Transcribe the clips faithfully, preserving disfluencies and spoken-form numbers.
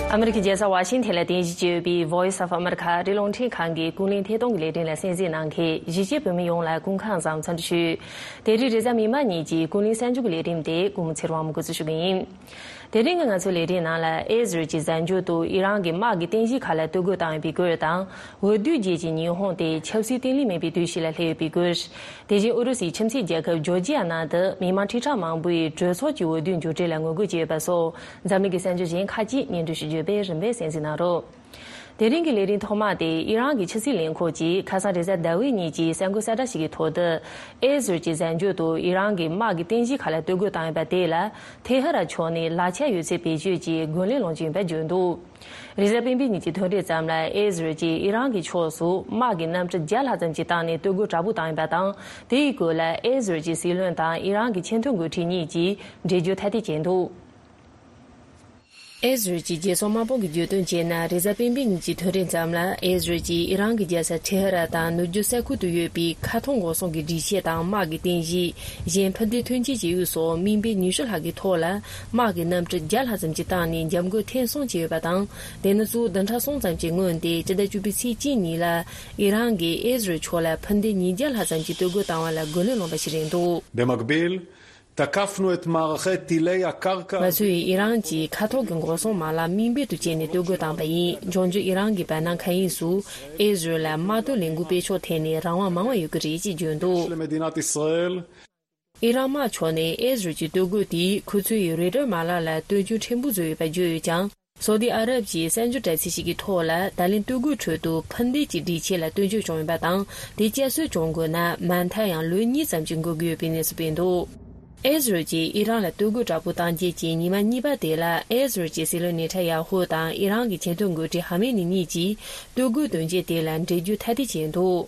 ཨ་མི་རི་ཀའི་རྒྱལ་ས་ཝ་ཤིང་ཐན་ལ་རྟེན་གཞི་བྱས་ཡོད་པའི་Voice of America ཨ་རིའི་རླུང་འཕྲིན་ཁང་གི་ཀུན་གླེང་ཐད་གཏོང་གི་ལས་རིམ་ལ་གསན་གཟིགས་གནང་མཁན་གཞིས་བྱེས་བོད་མི་ཡོངས་ལ་སྐུ་ཁམས་བཟང་འཚམས་འདྲི་ཞུ། དེ་རིང་རེས་གཟའ་མིག་དམར་ཉིན་གྱི་ཀུན་གླེང་གསར་འགྱུར་གྱི་ལས་རིམ་དེ་སྐུ་ངོ་ཚེ་རིང་དབང་མོ་འགོ་འཛུགས་ཞུ་གི་ཡིན། དེ་རིང་གི་ང་ཚོའི་ལས་རིམ་ནང་ལ་ཨེ་ཟི་རལ་གྱིས་གཟའ་མཇུག་ཏུ་ཨི་རན་གྱི་དམག་གི་རྟེན་གཞི་ཁག་ལ་གཏོར་རྒོལ་བཏང་ཡོད་པའི་སྐོར་དང་། འོས་བསྡུ་རྗེས་ཀྱི་ཉི་ཧོང་དེ་ཆབ་སྲིད་བརྟན་ལྷིང་མེད་པའི་དུས་ཤིག་ལ་སླེབས་ཡོད་པའི་སྐོར། དེ་བཞིན་ཨུ་རུ་སུའི་ཁྱིམ་མཚེས་རྒྱལ་ཁབ་ཇོར་ཇི་ཡ་ནང་དུ་མི་མང་ཁྲི་ཕྲག་མང་པོས་གྲོས་ཚོགས་ཀྱི་འོས་བསྡུའི་མཇུག་འབྲས་ལ་ངོ་རྒོལ་བྱས་ཡོད་པ་སོགས་འཛམ་གླིང་གི་གསར་འགྱུར་གཞན་ཁག་ཅིག་སྙན་སྒྲོན་ཞུ་རྒྱུ་ཡོད་པས་རིམ་པས་གསན་གཟིགས་གནང་རོགས། དེ་རིང་གི་ལས་རིམ་ཐོག་མ་དེ་ཨི་རན་གྱི་ཕྱི་སྲིད་ལས་ཁུངས་ཀྱིས་ཁ་སང་རེས་གཟའ་ཟླ་བའི་ཉིན་གྱི་གསར་འགོད་གསལ་བསྒྲགས་ཤིག་གི་ཐོག་ཏུ། ཨེ་ཟི་རལ་གྱིས་གཟའ་མཇུག་ཏུ་ཨི་རན་གྱི་དམག་གི་རྟེན་གཞི་ཁག་ལ་གཏོར་རྒོལ་བཏང་ཡོད་པ་དེ་ལ་ཐེ་ཧ་རན་ཕྱོགས་ནས་ལག་ཆ་ཡོད་ཚད་བེད་སྤྱོད་ཀྱིས་རྒོལ་ལན་སློང་གི་ཡིན་པ་བརྗོད་འདུག་རེས་གཟའ་སྤེན་པའི་ཉིན་གྱི་ཐོན་རེས་ཙམ་ལ་ཨེ་ཟི་རལ་གྱིས་ཨི་རན་གྱི་ཕྱོགས་སུ་དམག་གི་གནམ་གྲུ་བརྒྱ་ལྷག་ཙམ་ཞིག་བཏང་ནས་གཏོར་རྒོལ་དྲག་པོ་བཏང་ཡོད་པ་དང་། དེའི་སྐོར་ལ་ཨེ་ཟི་རལ་གྱི་སྲིད་བློན་དང་ཨི་རན་གྱི་ཆེས་མཐོའི་འགོ་ཁྲིད་གཉིས་ཀྱིས་འགྲེལ་བརྗོད་ཐ་དད་བྱས་འདུག་ཨེ་ཟི་རལ་གྱི་རྒྱལ་སྲུང་དམག་དཔུང་གིས་བརྗོད་དོན་བྱས་ན། རེས་གཟའ་སྤེན་པའི་ཉིན་གྱི་ཐོན་རེས་ཙམ་ལ་ཨེ་ཟི་རལ་གྱིས་ཨི་རན་གྱི་རྒྱལ་ས་ཐེ་ཧ་རན་དང་ནུབ་རྒྱུད་ས་ཁུལ་དུ་ཡོད་པའི་མཁའ་མཐོང་འགོག་སྲུང་གི་སྒྲིག་ཆས་དང་དམག་གི་རྟེན་གཞི། གཞན་ཕན་བདེ་ཐོན་སྐྱེད་བྱེད་ཡུལ་སོགས་མིང་དཔེ་ཉི་ཤུ་ལྷག་གི་ཐོག་ལ་དམག་གི་གནམ་གྲུ་བརྒྱ་ལྷག་ཙམ་ཞིག་བཏང་ནས་འཇབ་རྒོལ་ཐེངས་གསུམ་བྱས་ཡོད་པ་དང་། དེ་ནི་གཙོ་བོ་བདུན་ཕྲག་གསུམ་ཙམ་གྱི་སྔོན་ཏེ་སྤྱི་ཟླ་བཅུ་པའི་ཚེས་གཅིག་ཉིན་ལ་ཨི་རན་གྱིས་ཨེ་ཟི་རལ་ཕྱོགས་ལ་འཕུར་མདེལ་ཉིས་བརྒྱ་ལྷག་ཙམ་ཞིག་གཏོར་རྒོལ་བཏང་བ་ལ་རྒོལ་ལན་སློང་བ་ཞིག་རེད་འདུག במקביל, תקפנו את מערכי טילי הקרקע. ང་ཚོས་ཨི་རན་གྱི་མཁའ་ཐོག་གི་འགོག་སྲུང་མ་ལག་མིང་དཔེ་དུ་བྱས་ནས་གཏོར་རྒོལ་བཏང་བ་ཡིན། འབྱུང་འགྱུར་ཨི་རན་གྱི་བར་སྣང་མཁའ་དབྱིངས་སུ་ཨེ་ཟི་རལ་ལ་དམག་དོན་ལས་འགུལ་སྤེལ་ཕྱོགས་ཐད་ནས་རང་དབང་མང་བ་ཡོད་ཀྱི་རེད་ཅེས་བརྗོད་འདུག למדינת ישראל. ཨི་རན་དམག་ཕྱོགས་ནས་ཨེ་ཟི་རལ་གྱི་གཏོར་རྒོལ་དེས་ཁོ་ཚོའི་རེ་ཌར་མ་ལག་ལ་སྟོན་ཆུང་ཕྲན་བུ་བཟོས་ཡོད་པ་བརྗོད་ཡོད་ཀྱང་། སོ་ཏི་ཨ་རབ་ཀྱི་གསར་འགྱུར་དྲ་ཚིགས་ཤིག་གི་ཐོག་ལ། ད་ལན་གཏོར་རྒོལ་ཁྲོད་དུ་འཕུར་མདེལ་གྱི་སྒྲིག་ཆས་ལ་སྟོན་ཆོག་བྱུང་ཡོད་པ་དང་། དེ་བསྐྱར་གསོ་བྱུང་དགོས་ན་མ་མཐའ་ཡང་ལོ་གཉིས་ཙམ་ཞིག་འགོར་གྱི་ཡོད་པའི་གནས་ཚུལ་སྤེལ་འདུག་ཨེ་ཟི་རལ་གྱིས་ཨི་རན་ལ་གཏོར་རྒོལ་དྲག་པོ་བཏང་རྗེས་ཀྱི་ཉི་མ་གཉིས་པ་དེ་ལ། ཨེ་ཟི་རལ་གྱི་སྲིད་བློན་ནེ་ཐན་ཡ་ཧུ་དང་ཨི་རན་གྱི་ཆེས་མཐོའི་འགོ་ཁྲིད་ཧ་མེ་ནི་གཉིས་ཀྱིས་གཏོར་རྒོལ་དོན་རྐྱེན་དེ་ལ་འགྲེལ་བརྗོད་ཐ་དད་བྱས་འདུག་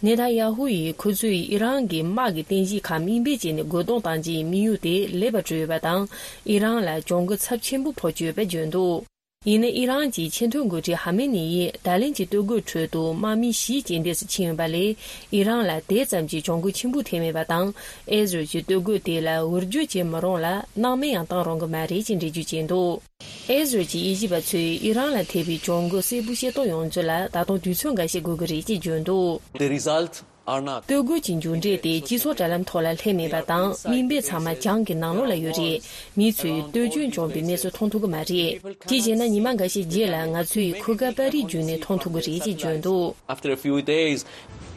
ནེ་ཐན་ཡ་ཧུ་ཡིས་ཁོ་ཚོས་ཨི་རན་གྱི་དམག་གི་རྟེན་གཞི་ཁག་མིང་དཔེ་བྱས་ནས་རྒོལ་རྡུང་བཏང་རྗེས་དམིགས་ཡུལ་དེ་ལེགས་པར་གྲུབ་ཡོད་པ་དང་། ཨི་རན་ལ་གྱོང་གུན་ཚབས་ཆེན་པོ་ཕོག་གི་ཡོད་པ་བརྗོད་འདུག་ཡིན་ནའི་ཨི་རན་གྱི་ཆེས་མཐོའི་འགོ་ཁྲིད་ཧ་མེ་ནི་ཡིས་ད་ལན་གྱི་གཏོར་རྒོལ་ཁྲོད་དུ་དམག་མི་བཞི་རྐྱེན་འདས་སུ་ཕྱིན་ཡོད་པ་ལས། ཨི་རན་ལ་དེ་ཙམ་གྱི་གྱོང་གུན་ཆེན་པོ་ཐེབས་མེད་པ་དང་། ཨེ་ཟི་རལ་གྱི་གཏོར་རྒོལ་དེ་ལ་འུར་བརྗོད་བྱེད་མི་རུང་ལ། སྣང་མེད་ཡང་བཏང་རུང་གི་མ་རེད་ཅེས་འགྲེལ་བརྗོད་བྱས་འདུག་ཨེ་ཟི་རལ་གྱི་དབྱེ་ཞིབ་པ་ཚོས་ཨི་རན་ལ་ཐེབས་པའི་གྱོང་གུན་གསལ་པོ་ཤེས་རྟོགས་ཡོང་རྒྱུ་ལ་ད་དུང་དུས་ཚོད་འགའ་ཤས་འགོར་གྱི་རེད་ཅེས་བརྗོད་འདུག The result are not. གཏོར་རྒོལ་གྱི་མཇུག་འབྲས་དེ་སྤྱི་ཚོགས་དྲ་ལམ་ཐོག་ལ་སླེབས་མེད་པ་དང་། མིང་དཔེ་ཚང་མ་གྱང་གི་ནང་ལོགས་ལ་ཡོད་རེད། མི་ཚོས་གཏོར་སྐྱོན་བྱུང་བའི་གནས་ཚུལ་མཐོང་ཐུབ་ཀྱི་མ་རེད། དེ་བྱས་ན་ཉི་མ་འགའ་ཤས་རྗེས་ལ་ང་ཚོས་ཁུ་ཁ་པར་རིས་བརྒྱུད་ནས་མཐོང་ཐུབ་ཀྱི་རེད་ཅེས་བརྗོད་འདུག After a few days.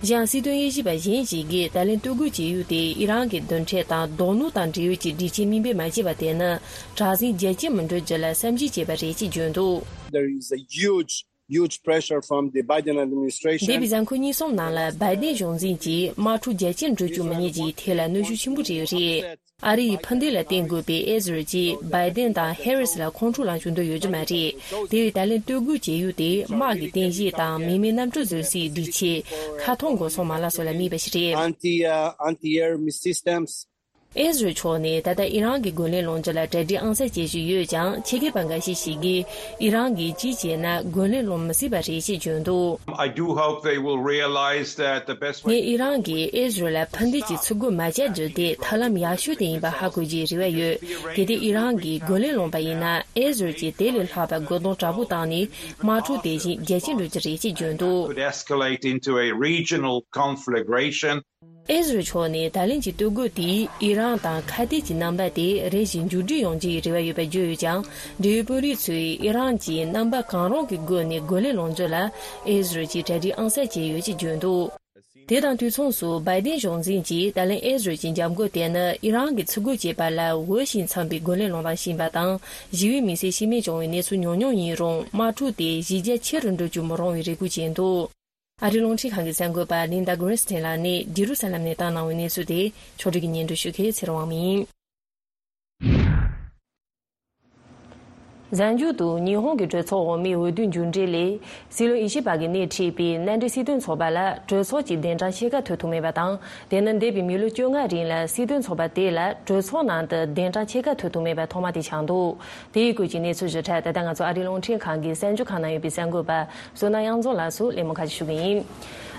གཞན་སྲིད་དོན་དབྱེ་ཞིབ་པ་གཞན་ཞིག་གིས་ད་ལན་གཏོར་རྒོལ་བྱེད་ཡུལ་དེ་ཨི་རན་གྱི་རྡུལ་ཕྲན་དང་རྡོ་སྣུམ་དང་འབྲེལ་ཡོད་ཀྱི་སྒྲིག་ཆས་མིང་དཔེ་མ་བྱས་པ་དེ་ནི་དྲག་ཟིང་རྒྱ་སྐྱེད་མི་འགྲོ་རྒྱུ་ལ་བསམ་གཞིག་བྱས་པ་རེད་ཅེས་བརྗོད་འདུག There is a huge, huge pressure from the Biden administration. འདས་པའི་གཟའ་འཁོར་གཉིས་གསུམ་ནང་ལ་བའི་ཏན་གཞུང་འཛིན་གྱིས་དམག་འཁྲུག་རྒྱ་སྐྱེད་འགྲོ་བཅུག་མི་ཉན་ཅེས་ཐད་ལ་གནོན་ཤུགས་ཆེན་པོ་སྤྲད་ཡོད་རེད། ཨ་རི་ཡི་འཕུར་མདེལ་ལ་བརྟེན་དགོས་པའི་ཨེ་ཟི་རལ་གྱིས་བའི་ཏན་དང་ཧེ་རིས་ལ་ཁོང་ཁྲོ་ལངས་བཅུག་འདོད་ཡོད་རྒྱུ་མ་རེད། དེ་བས་ད་ལན་གཏོར་རྒོལ་བྱེད་ཡུལ་དེ་དམག་གི་རྟེན་གཞི་དང་མི་མེད་གནམ་གྲུ་བཟོ་སའི་སྒྲིག་ཆས། མཁའ་མཐོང་འགོག་སྲུང་མ་ལག་སོགས་ལ་དམིགས་པ་ཞིག་རེད། Anti, uh, anti-air missile systems. ཨེ་ཟི་རལ་ཕྱོགས་ནས་ད་ལྟ་ཨི་རན་གྱི་རྒོལ་ལན་སློང་རྒྱུ་ལ་གྲ་སྒྲིག་ཨང་གསར་བྱེད་བཞིན་ཡོད་ཀྱང་། ཆེད་མཁས་པ་འགའ་ཤས་ཤིག་གིས་ཨི་རན་གྱིས་ཅི་བྱས་ན་རྒོལ་ལན་སློང་མི་སྲིད་པ་རེད་ཅེས་བརྗོད་འདུག I do hope they will realize that the best way. ངས་ཨི་རན་གྱིས་ཨེ་ཟི་རལ་ལ་འཕུར་མདེལ་གྱི་ཚུར་རྒོལ་མ་བྱ་རྒྱུ་དེ་ཐབས་ལམ་ཡག་ཤོས་དེ་ཡིན་པ་ཧ་གོ་རྒྱུའི་རེ་བ་ཡོད། གལ་ཏེ་ཨི་རན་གྱིས་རྒོལ་ལན་སློང་པ་ཡིན་ན། ཨེ་ཟི་རལ་གྱིས་དེ་ལས་ལྷག་པའི་རྒོལ་རྡུང་དྲག་པོ་བཏང་ནས་དམག་འཁྲུག་དེ་བཞིན་རྒྱ་སྐྱེད་འགྲོ་རྒྱུ་རེད་ཅེས་བརྗོད་འདུག Could escalate into a regional conflagration. ཨེ་ཟི་རལ་ཕྱོགས་ནས་ད་ལན་གྱི་གཏོར་རྒོལ་དེས་ཨི་རན་དང་ཁ་གཏད་ཀྱི་རྣམ་པ་དེ་རེ་ཞིག་མཇུག་སྒྲིལ་ཡོང་རྒྱུའི་རེ་བ་ཡོད་པ་བརྗོད་ཡོད་ཀྱང་། འབྲེལ་ཡོད་དཔོན་རིགས་ཚོས་ཨི་རན་གྱིས་རྣམ་པ་གང་རུང་གི་སྒོ་ནས་རྒོལ་ལན་སློང་རྒྱུ་ལ་ཨེ་ཟི་རལ་གྱིས་གྲ་སྒྲིག་ཨང་གསར་བྱས་ཡོད་ཅེས་བརྗོད་འདུག་དེ་དང་དུས་མཚུངས་སུ། བའི་ཏན་གཞུང་འཛིན་གྱིས་ད་ལན་ཨེ་ཟི་རལ་གྱི་འཇབ་རྒོལ་དེ་ནི་ཨི་རན་གྱིས་ཚུར་རྒོལ་བྱས་པ་ལ་འོས་ཤིང་འཚམ་པའི་རྒོལ་ལན་སློང་སྟངས་ཤིག་ཡིན་པ་དང་། ཞི་བའི་མི་སེར་ཤི་རྨས་བྱུང་བའི་གནས་ཚུལ་ཉུང་ཉུང་ཡིན་རུང་། དམག་འཁྲུག་དེ་གཞི་རྒྱ་ཆེ་རུ་འགྲོ་རྒྱུ་མི་རུང་བའི་རེ་སྐུལ་བྱས་འདུག་ཨ་རིའི་རླུང་འཕྲིན་ཁང་གི་གསར་འགོད་པ་ལིན་ཌ་གྷི་རིན་སྟན་ལགས་ནས་ཇེ་རུ་ས་ལམ་ནས་བཏང་གནང་བའི་གནས་ཚུལ་དེ་ཕྱོགས་སྒྲིག་གིས་སྙན་སྒྲོན་ཞུ་མཁན་ཚེ་རིང་དབང་མོ་ཡིན། གཟའ་མཇུག་ཏུ་ཉི་ཧོང་གི་གྲོས་ཚོགས་འོག་མའི་འོས་བསྡུའི་མཇུག་འབྲས་ལས། སྲིད་བློན་ཨི་ཤི་པ་གིས་སྣེ་ཁྲིད་པའི་མནའ་འབྲེལ་སྲིད་དོན་ཚོགས་པ་ལ་གྲོས་ཚོགས་ཀྱི་གདན་གྲངས་ཕྱེད་ཀ་ཐོབ་ཐུབ་མེད་པ་དང་། དེ་ནི་འདས་པའི་མི་ལོ་བཅོ་ལྔ་རིང་ལ་སྲིད་དོན་ཚོགས་པ་དེ་ལ་གྲོས་ཚོགས་ནང་དུ་གདན་གྲངས་ཕྱེད་ཀ་ཐོབ་ཐུབ་མེད་པ་ཐོག་མ་དེ་ཆགས་འདུག་དེའི་སྐོར་གྱི་གནས་ཚུལ་ཞིབ་ཕྲ་ད་ལྟ་ང་ཚོ་ཨ་རིའི་རླུང་འཕྲིན་ཁང་གི་གསར་འགྱུར་ཁང་ནང་ཡོད་པའི་གསར་འགོད་པ་བསོད་ནམས་དབྱངས་འཛོམས་ལགས་སུ་གླེང་མོལ་ཁ་ཤས་ཞུ་གི་ཡིན།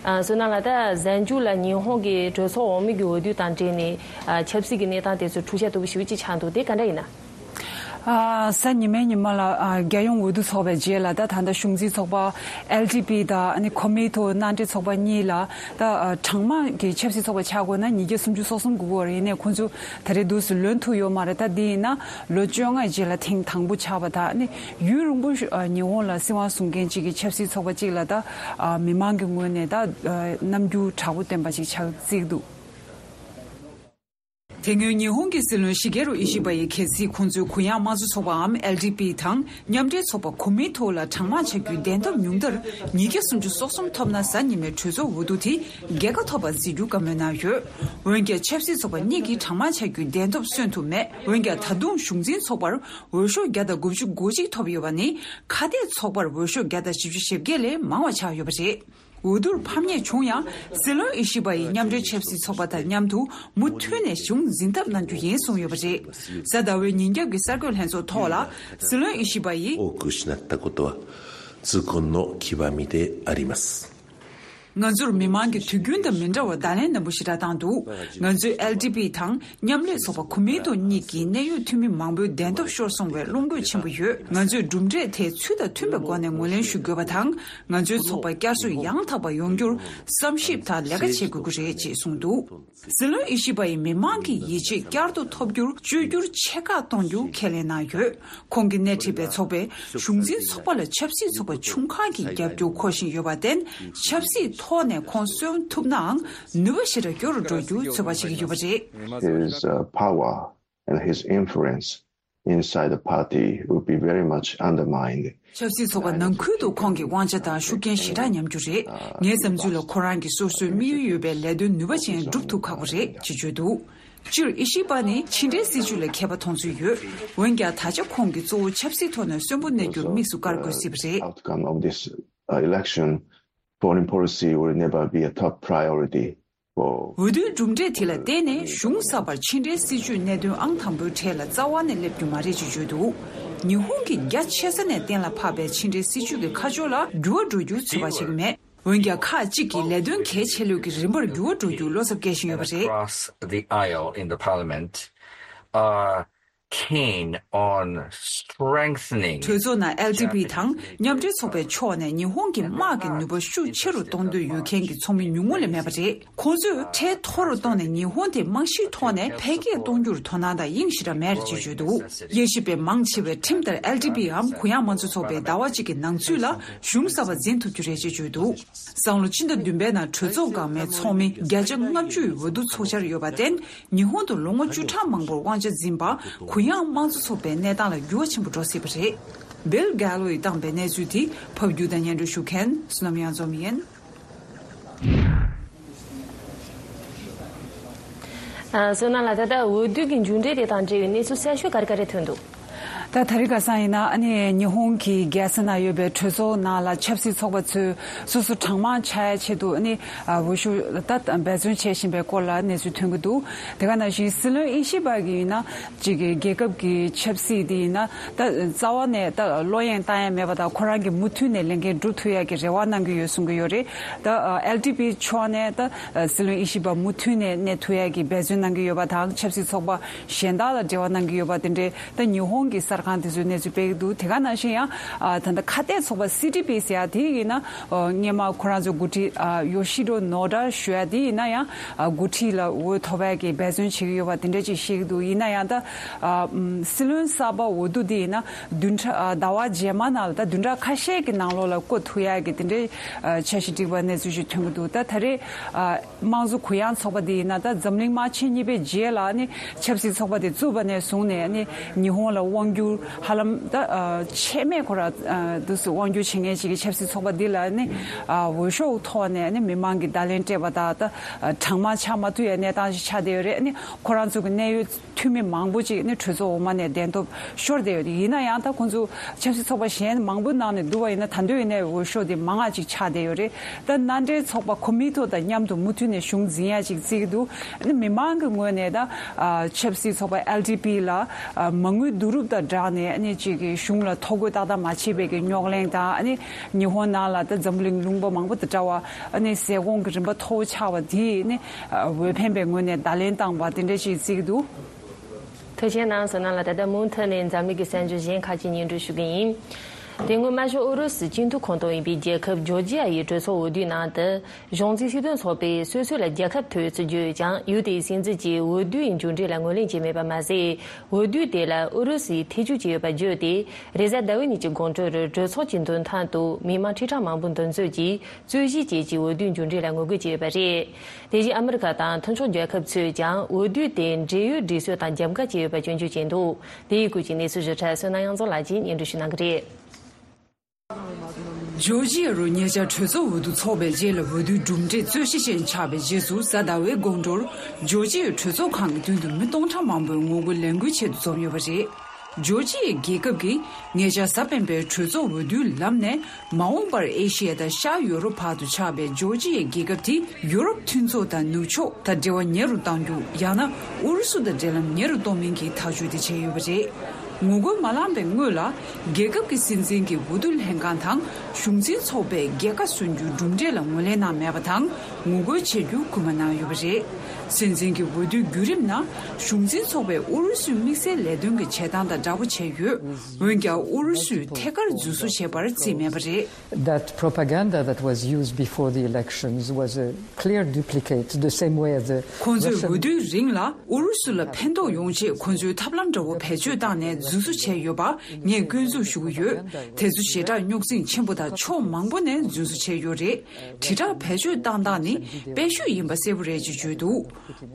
ཨ། བསོད་ནམས་ལགས། ད་གཟའ་མཇུག་ལ་ཉི་ཧོང་གི་གྲོས་ཚོགས་འོག་མའི་གི་འོས་བསྡུ་དང་འབྲེལ་ནས། ཨ། ཆབ་སྲིད་ཀྱི་གནས་སྟངས་དེ་ཚོ་འཁྲུག་ཆ་དོད་པོ་ཞེ་པོ་ཅིག་ཆགས་འདུག་དེ་ག་འདྲ་ཡིན་ན། ཨ། གཟའ་ཉི་མའི་ཉི་མ་ལ། ཨ། རྒྱལ་ཡོངས་འོས་བསྡུ་ཚོགས་པའི་རྗེས་ལ། ད་ད་ལྟ་གཞུང་འཛིན་ཚོགས་པ་ཨེལ་ཌི་པི་དང་ཨ་ནི་ཁོ་མི་ཏོ་མནའ་འབྲེལ་ཚོགས་པ་གཉིས་ལ། ད་ཨ་གྲངས་མང་གི་ཆབ་སྲིད་ཚོགས་པ་ཆགས་དགོས་ན་ཉིས་བརྒྱ་སུམ་ཅུ་སོ་གསུམ་དགོས་ཀྱི་ཡོད་རེད། ཡིན་ནའི་ཁོང་ཚོ་ད་རེས་འདུག་སེ་ལོན་ཐུབ་ཡོད་མ་རེད། ད་འདི་ཡིན་ན་ལོ་བཅོ་ལྔའི་རྗེས་ལ་ཐེངས་དང་པོ་ཆགས་པ་དང་། ཨ་ནི་ཡུན་རིང་པོ་ཞིག་ཨ་ཉི་ཧོང་ལ་སྲིད་དབང་བཟུང་མཁན་གཅིག་གི་ཆབ་སྲིད་ཚོགས་པ་གཅིག་ལ་ད་ཨ་མི་མང་གི་ངོས་ནས་ད་ཨ་རྣམ་འགྱུར་དྲག་པོ་བསྟན་པ་ཞིག་ཆགས་རྩིས་འདུག་དེ་སྔོན་ཉི་ཧོང་གི་སྲིད་བློན་ཤི་གེ་རུ་ཨི་ཤི་བ་ཡིས་གལ་སྲིད་ཁོང་ཚོས་གུ་ཡངས་དམངས་གཙོ་ཚོགས་པའམ་ཨེལ་ཌི་པི་དང་མཉམ་འབྲེལ་ཚོགས་པ་ཁོ་མིའི་ཐོག་ལ་གྲངས་མང་ཆགས་རྒྱུའི་གདན་ཐོབ་ཉུང་མཐར་ཉིས་བརྒྱ་སུམ་ཅུ་སོ་གསུམ་ཐོབ་ན། གཟའ་ཉི་མའི་གྲོས་ཚོགས་འོས་བསྡུ་དེ་རྒྱལ་ཁ་ཐོབ་པར་བརྩི་རྒྱུ་བཀའ་མོལ་གནང་ཡོད། འོན་ཀྱང་ཆབ་སྲིད་ཚོགས་པ་གཉིས་ཀྱིས་གྲངས་མང་ཆགས་རྒྱུའི་གདན་ཐོབ་སོན་ཐུབ་མེད། འོན་ཀྱང་ད་དུང་གཞུང་འཛིན་ཚོགས་པར་འོས་ཤོག་བརྒྱ་དང་དགུ་བཅུ་གོ་གཅིག་ཐོབ་ཡོད་པ་ནི། ཁ་གཏད་ཚོགས་པར་འོས་ཤོག་བརྒྱ་དང་བཞི་བཅུ་ཞེ་བརྒྱད་ལས་མང་བ་ཆགས་ཡོད་པ་རེད། འོས་བསྡུར་ཕམ་ཉེས་བྱུང་ཡང་། སྲིད་བློན་ཨི་ཤི་བ་ཡིས་མཉམ་འབྲེལ་ཆབ་སྲིད་ཚོགས་པ་དང་མཉམ་དུ་མུ་མཐུད་ནས་གཞུང་འཛིན་ཐབས་གནང་རྒྱུ་ཡིན་གསུངས་ཡོད་པ་རེད། གཟའ་ཟླ་བའི་ཉིན་རྒྱབ་ཀྱི་གསར་འགོད་ལྷན་ཚོགས་ཐོག་ལ། སྲིད་བློན་ཨི་ཤི་བ་ཡིས།多く失ったことは痛恨の極みであります。 ང་ཚོར་མི་མང་གིས་དུས་རྒྱུན་དང་མི་འདྲ་བར་བརྡ་ལན་རྣོན་པོ་ཞེ་དྲག་བཏང་འདུག་ང་ཚོའི་ཨེལ་ཌི་པི་དང་མཉམ་ལས་ཚོགས་པ་ཁོ་མིན་ཏོ་གཉིས་ཀྱི་གནད་ཡོད་འཐུས་མི་མང་པོའི་གདན་ཐོབ་ཤོར་སོང་བའི་བློ་འགྱོད་ཆེན་པོ་ཡོད། ང་ཚོས་གྲུབ་འབྲས་དེ་ཚུལ་དང་མཐུན་པའི་སྒོ་ནས་ངོས་ལེན་ཞུ་དགོས་པ་དང་། ང་ཚོའི་ཚོགས་པ་བསྐྱར་གསོ་ཡང་དག་པ་ཡོང་རྒྱུར་བསམ་ཞིབ་དང་ལས་ཀ་བྱེད་དགོས་ཀྱི་རེད་ཅེས་གསུངས་འདུག་སྲིད་བློན་ཨི་ཤི་བ་ཡིས་མི་མང་གི་ཡིད་ཆེས་བསྐྱར་དུ་ཐོབ་རྒྱུར་བཅོས་བསྒྱུར་ཆེ་ཁག་གཏོང་རྒྱུ་ཁས་ལེན་གནང་ཡོད། ཁོང་གིས་སྣེ་ཁྲིད་པའི་ཚོགས་པས་གཞུང་འཛིན་ཚོགས་པ་ལ་ཆབ་སྲིད་ཚོགས་པ་ཆུང་ཁག་གི་རྒྱབ་སྐྱོར་འཁོར་བཞིན་ཡོད་པར་བརྟེན། ཆབ་སྲིད་ཐོག་ནས་ཁོང་གསོན་ཐུབ་ནའང་ནུས་པ་ཞེ་དྲག་སྐྱོ་རུ་འགྲོ་རྒྱུ་ཚོད་དཔག་བྱེད་ཀྱི་ཡོད་པ་རེད། His uh, power and his influence inside the party will be very much undermined. ཆབ་སྲིད་ཚོགས་པ་ནང་ཁུལ་དུ་ཁོང་གི་དབང་ཆ་དང་ཤུགས་རྐྱེན་ཞེ་དྲག་ཉམས་རྒྱུ་རེད། ངའི་བསམ་ཚུལ་ལ་ཁོ་རང་གིས་སོ་སོའི་དམིགས་ཡུལ་ཡོད་པའི་ལས་དོན་ནུས་པ་ཅན་སྒྲུབ་ཐུབ་ཁག་པོ་རེད་ཅེས་བརྗོད་འདུག་སྤྱིར་ཨི་ཤི་པ་ནི་ཕྱི་འབྲེལ་སྲིད་ཇུས་ལ་མཁས་པ་མཐོང་ཚུལ་ཡོད། འོན་ཀྱང་ད་ཆ་ཁོང་གིས་གཙོ་བོ་ཆབ་སྲིད་ཐོག་ནས་གསོན་པོ་གནས་རྒྱུར་དམིགས་སུ་བཀར་དགོས་སྲིད་པ་རེད། Outcome of this uh, election, foreign policy will never be a top priority for འོས་བསྡུའི་གྲུབ་འབྲས་དེ་ལ་བརྟེན་ནས་གཞུང་གསར་པར་ཕྱི་འབྲེལ་སྲིད་ཇུས་གནད་དོན་ཨང་དང་པོའི་གྲས་ལ་རྩ་བ་ནས་སླེབས་རྒྱུ་མ་རེད་ཅེས་བརྗོད་འདུག་ཉི་ཧོང་གིས་རྒྱ་ཆེ་ས་ནས་གཏན་ལ་ཕབ་པའི་ཕྱི་འབྲེལ་སྲིད་ཇུས་ཀྱི་ཁ་ཕྱོགས་ལ་འགྱུར་བ་འགྲོ་རྒྱུ་ཚོད་དཔག་བྱེད་ཀྱི་མེད། འོན་ཀྱང་ཁག་ཅིག་གིས་ལས་དོན་གལ་ཆེ་ལོས་ཀྱི་རིམ་པར་འགྱུར་བ་འགྲོ་རྒྱུའི་བློ་འཚབ་སྐྱེ་བཞིན་ཡོད་པ་རེད། Across the aisle in the parliament are keen on strengthening གྲོས་ཚོགས་ནང་ཨེལ་ཌི་པི་དང་མཉམ་འབྲེལ་ཚོགས་པའི་ཕྱོགས་ནས་ཉི་ཧོང་གི་དམག་གི་ནུས་པ་ཤུགས་ཆེ་རུ་གཏོང་འདོད་ཡོད་མཁན་གྱི་ཚོགས་མི་ཉུང་ངུ་ལས་མེད་པ་རེད། ཁོང་ཚོས་ཁྲལ་མཐོ་རུ་བཏང་ནས་ཉི་ཧོང་དེ་རྨང་གཞིའི་ཐོག་ནས་འཕེལ་རྒྱས་གཏོང་རྒྱུར་དོ་སྣང་དང་དབྱིངས་ཞེ་དྲག་མེད་ཅེས་བརྗོད་འདུག་དབྱེ་ཞིབ་པས་མང་ཆེ་བས་ཁྲིམས་ལྟར་ཨེལ་ཌི་པིའམ་གུ་ཡངས་དམངས་གཙོ་ཚོགས་པས་ཟླ་བ་གཅིག་གི་ནང་ཚུད་ལ་གཞུང་གསར་པ་འཛིན་ཐུབ་རྒྱུ་རེད་ཅེས་བརྗོད་འདུག་སང་ལོ་ཕྱི་ཟླ་བདུན་པའི་ནང་གྲོས་ཚོགས་འགག་མིའི་ཚོགས་མི་བརྒྱ་ཆ་ལྔ་བཅུ་ཡི་འོས་བསྡུ་ཚོགས་འཆར་ཡོད་པར་བརྟེན། ཉི་ཧོང་དུ་ལོ་ངོ་བཅུ་ཕྲག་མང་པོར་དབང་ཆ་འཛིན་པ་གུ་ཡངས་དམངས་གཙོ་ཚོགས་པའི་གནས་སྟངས་ལ་འགྱུར་བ་ཆེན་པོ་འགྲོ་སྲིད་པ་རེད། བྷིལ་གྷ་ལོ་ཡིས་བཏང་པའི་གནས་ཚུལ་དེ་ཕབ་སྒྱུར་དང་སྙན་སྒྲོན་ཞུ་མཁན་བསོད་ནམས་གཡང་འཛོམས་ཡིན། ཨ། བསོད་ནམས་ལགས། ད་ལྟ་འོས་བསྡུ་གི་མཇུག་འབྲས་དེ་དང་འབྲེལ་བའི་གནས་ཚུལ་གསར་ཤོས་ག་རེ་ག་རེ་ཐོན་འདུག་ད་དེ་རིང་ཁ་སང་ཡིན་ན་ཨ་ནི་ཉི་ཧོང་གི་རྒྱལ་ས་ནང་ཡོད་པའི་གྲོས་ཚོགས་ནང་ལ་ཆབ་སྲིད་ཚོགས་པ་ཚོས་སོ་སོ་གྲངས་མང་ཆགས་ཡ་ཆེད་དུ་ཨ་ནི་འོས་ཤོག་ད་འབད་བརྩོན་བྱེད་བཞིན་པའི་སྐོར་ལ་གནས་ཚུལ་ཐོན་གྱི་འདུག་དེ་ག་ནང་བཞིན་སྲིད་བློན་ཨི་ཤི་པ་གིས་ཡིན་ན་གཅིག་གི་རྒྱལ་ཁབ་ཀྱི་ཆབ་སྲིད་དེ་ཡིན་ན་ད་རྩ་བ་ནས་ད་བློ་གཡེང་བཏང་ཡ་མེད་པ་དང་ཁོ་རང་གིས་མུ་མཐུད་ནས་ལས་འགན་སྒྲུབ་ཐུབ་ཡ་གི་རེ་བ་གནང་གི་ཡོད་གསུང་གི་ཡོད་རེད། ད་ཨེལ་ཌི་པི་ཕྱོགས་ནས་ད་སྲིད་བློན་ཨི་ཤི་པ་མུ་མཐུད་ནས་གནས་ཐུབ་ཡ་གི་འབད་བརྩོན་གནང་གི་ཡོད་པ་དང་ཆབ་སྲིད་ཚོགས་པ་གཞན་དག་ལ་འབྲེལ་བ་གནང་གི་ཡོད་པ་དེ་འདྲའི་ད་ཉི་ཧོང་གི་གསར་ཁང་དེ་ཚོས་གནས་ཚུལ་སྤེལ་གྱི་འདུག་དེ་ག་ནང་བཞིན་ཡང་ཨ་ད་ལྟ་ཁ་གཏད་ཚོགས་པ་སི་ཊི་པི་ཟེར་ཡ་དེ་ཡིན་ན་ཨ་སྔོན་མ་ཁོ་རང་ཚོའི་འགོ་ཁྲིད་ཨ་ཡོ་ཤི་རོ་ནོ་ཌ་ཞུ་ཡ་དེ་ཡིན་ན་ཡང་ཨ་འགོ་ཁྲིད་ལ་འོས་ཐོབ་ཡ་གི་འབད་བརྩོན་བྱེད་ཀྱི་ཡོད་པ་དེ་འདྲ་ཅིག་བཤད་ཀྱི་འདུག་ཡིན་ན་ཡང་ད་ཨ་སྲིད་བློན་གསར་པ་འོས་བསྡུ་དེ་ཡིན་ན་བདུན་ཕྲག་ཨ་ཟླ་བ་རྗེས་མ་ནང་ལ་ད་བདུན་ཕྲག་ཁ་ཤས་ཀྱི་ནང་ལོགས་ལ་བསྐོ་ཐུབ་ཡ་གི་དེ་འདྲའི་ཨ་འཆར་གཞི་བསྒྲིགས་པ་གནས་ཚུལ་ཞིག་ཐོན་གྱི་འདུག་ད་ད་རེས་ཨ། དམངས་གཙོ་གུ་ཡངས་ཚོགས་པ་འདི་ཡིན་ན་ད་འཛམ་གླིང་དམག་ཆེན་གཉིས་པའི་རྗེས་ལ་ནི་ཆབ་སྲིད་ཚོགས་པ་དེ་བཙུགས་པ་ནས་བཟུང་ནས་ནི་ཉི་ཧོང་ལ་དབང་སྒྱུར་ཧ་ལམ་ད་ཆད་མེད་ཁོ་ར་འདུག་སེ་དབང་སྒྱུར་བྱེད་མཁན་ཞིག་གི་ཆབ་སྲིད་ཚོགས་པ་འདི་ལ་ནི་འོས་ཤོག་ཐོག་ནས་ནི་མི་མང་གིས་བརྡ་ལན་སྤྲད་པ་དང་ད་གྲངས་མང་ཆགས་མ་ཐུབ་ཡའི་གནས་སྟངས་ཤིག་ཆགས་བསྡད་ཡོད་རེད། ནི་ཁོ་རང་ཚོ་གི་གནད་ཡོད་འཐུས་མི་མང་པོ་ཅིག་ནི་གྲོས་ཚོགས་འོག་མ་ནས་གདན་ཐོབ་ཤོར་བསྡད་ཡོད་རེད། ཡིན་ན་ཡང་ད་ཁོང་ཚོ་ཆབ་སྲིད་ཚོགས་པ་གཞན་མང་པོ་ནང་ནས་བསྡུར་བ་ཡིན་ན་ད་དུང་ཡིན་ནའི་འོས་ཤོག་དེ་མང་ང་ཅིག་ཆགས་བསྡད་ཡོད་རེད། ད་མནའ་འབྲེལ་ཚོགས་པ་ཁོ་མི་ཐོག་དང་མཉམ་དུ་མུ་མཐུད་ནས་གཞུང་འཛིན་ཡ་ཅིག་བརྩི་གི་འདུག་ཨ་ནི་མི་མང་གི་ངོས་ནས་ད་ཨ་ཆབ་སྲིད་ཚོགས་པ་ཨེལ་ཌི་པི་ལ་ཨ་མ་དངུལ་བསྡུ་རུབ་དང་སྦྲགས་ནས་ཨ་ནི་ཅིག་གི་གཞུང་ལ་ཐོ་འགོད་ཏག་ཏག་མ་བྱས་པའི་གི་རྙོག་གླེང་དང་། ཨ་ནི་ཉི་ཧོང་ནང་ལ་ད་འཛམ་གླིང་ལུང་པ་མང་པོ་དང་འདྲ་བ་ཨ་ནི་ཟས་གོང་གི་རིན་པ་མཐོ་བོ་ཆགས་པ་དེས་ནི་ཨ་འོས་འཕེན་པའི་ངོས་ནས་བརྡ་ལན་བཏང་བ་དེ་འདྲ་ཞིག་བརྩི་གི་འདུག་ཐུགས་རྗེ་གནང་། བསོད་ནམས་ལགས། ད་ལྟ་མུ་མཐུད་ནས་འཛམ་གླིང་གི་གསར་འགྱུར་གཞན་ཁག་ཅིག་སྙན་སྒྲོན་ཞུ་གི་ཡིན། དེ་སྔོན་དམར་ཤོག་ཨུ་རུ་སུའི་སྤྱི་འཐུས་ཁོངས་གཏོགས་ཡིན་པའི་རྒྱལ་ཁབ་ཇོར་ཇི་ཡ་ཡི་གྲོས་ཚོགས་འོས་བསྡུའི་ནང་དུ། གཞུང་འཛིན་སྲིད་དོན་ཚོགས་པས་སོ་སོ་ལ་རྒྱལ་ཁ་ཐོབ་ཡོད་ཚུལ་བརྗོད་ཡོད་ཀྱང་། ཡུལ་དེའི་སྲིད་འཛིན་གྱིས་འོས་བསྡུའི་མཇུག་འབྲས་ལ་ངོས་ལེན་བྱས་མེད་པ་མ་ཟད། འོས་བསྡུ་དེ་ལ་ཨུ་རུ་སུས་ཐེ་བྱུས་བྱས་ཡོད་པ་བརྗོད་དེ། རེས་གཟའ་ཟླ་བའི་ཉིན་གྱི་དགོང་དྲོ་རུ་གྲོས་ཚོགས་ཀྱི་མདུན་ཐང་དུ་མི་མང་ཁྲི་ཕྲག་མང་པོ་འདུ་འཛོམས་ཀྱིས་རྩོད་གཞི་བཅས་ཀྱི་འོས་བསྡུའི་མཇུག་འབྲས་ལ་ངོ་རྒོལ་བྱས་ཡོད་པ་རེད། དེ་བཞིན་ཨ་མི་རི་ཀ་དང་མཐུན་ཕྱོགས་རྒྱལ་ཁབ་ཚོས་ཀྱང་འོས་བསྡུ་དེ་འབྲེལ་ཡོད་སྒྲིག་སྲོལ་དང་རྒྱབ་འགལ་བྱས་ཡོད་པ་སྐྱོན་བརྗོད་བྱས་འདུག་དེའི་སྐོར་གྱི་གནས་ཚུལ་ཞིབ་ཕྲ་བསོད་ནམས་དབྱངས་འཛོམས་ལགས་ཀྱིས་སྙན་སྒྲོན་ཞུ་གནང་གི་རེད། ཇོར་ཇི་ཡ་རུ་ཉེ་ཆར་གྲོས་ཚོགས་འོས་བསྡུ་འཚོགས་པའི་རྗེས་ལ་འོས་བསྡུའི་གྲུབ་འབྲས་རྩོད་གཞི་ཅན་ཆགས་པའི་རྗེས་སུ། གཟའ་ཟླ་བའི་དགོང་དྲོར་ཇོར་ཇི་ཡའི་གྲོས་ཚོགས་ཁང་གི་མདུན་དུ་མི་སྟོང་ཕྲག་མང་པོས་ངོ་རྒོལ་ལས་འགུལ་ཆེད་དུ་འཛོམས་ཡོད་པ་རེད། ཇོར་ཇི་ཡའི་རྒྱལ་ཁབ་ཀྱིས་ཉེ་ཆར་གཟའ་སྤེན་པའི་གྲོས་ཚོགས་འོས་བསྡུའི་ལམ་ནས། མ་འོངས་པར་ཨེ་ཤི་ཡ་དང་ཤར་ཡོ་རོབ་བར་དུ་ཆགས་པའི་ཇོར་ཇི་ཡའི་རྒྱལ་ཁབ་དེ་ཡུ་རོབ་མཐུན་ཚོགས་དང་ནུབ་ཕྱོགས་དང་འབྲེལ་བ་ཉེ་རུ་གཏོང་རྒྱུ། ཡང་ན་ཨུ་རུ་སུ་དང་འབྲེལ་ལམ་ཉེ་རུ་གཏོང་མིན་གྱི་ཐག་གཅོད་དེ་བྱས་ཡོད་པ་རེད། ངོ་རྒོལ་མ་ལངས་པའི་སྔོན་ལ། རྒྱལ་ཁབ་ཀྱི་སྲིད་འཛིན་གྱི་འོས་བསྡུ་ལྷན་ཁང་དང་གཞུང་འཛིན་ཚོགས་པས་རྒྱལ་ཁ་སོན་རྒྱུའི་གྲུབ་འབྲས་ལ་ངོས་ལེན་གནང་མེད་པ་དང་། ངོ་རྒོལ་བྱེད་རྒྱུ་སྐུལ་མ་གནང་ཡོད་པ་རེད། སྲིད་འཛིན་གྱི་འོས་བསྡུའི་བརྒྱུད་རིམ་ནང་། གཞུང་འཛིན་ཚོགས་པས་ཨུ་རུ་སུའི་དམིགས་བསལ་ལས་དོན་གྱི་བྱེད་སྟངས་དང་འདྲ་པོ་བྱས་ཡོད། འོན་ཀྱང་ཨུ་རུ་སུས་ཐད་ཀར་འཛུལ་བཟོ་བྱས་པར་བརྩིས་མེད་པ་རེད། That propaganda that was used before the elections was a clear duplicate, the same way as the ཁོང་ཚོས་Russian འོས་བསྡུའི་རིང་ལ་ཨུ་རུ་སུ་ལ་ཕན་ཐོགས་ཡོང་ཆེད་ཁོང་ཚོས་ཐབས་ལམ་འདྲ་བོ་བེད་སྤྱོད་བཏང་ནས་འཛུལ་བཟོ་བྱས་ཡོད་པ་ངས་སྐྱོན་འཛུགས་ཞུ་གི་ཡོད། དེ་ཚོ་ཞེ་དྲག་རྙོག་འཛིང་ཆེན་པོ་དང་ཕྱོགས་མང་པོ་ནས་འཛུལ་བཟོ་བྱས་ཡོད་རེད། དྲིལ་བསྒྲགས་བེད་སྤྱོད་བཏང་སྟངས་ནི་དཔེ་བཤུས་ཡིན་པ་གསལ་པོ་རེད་ཅེས་བརྗོད་འདུག་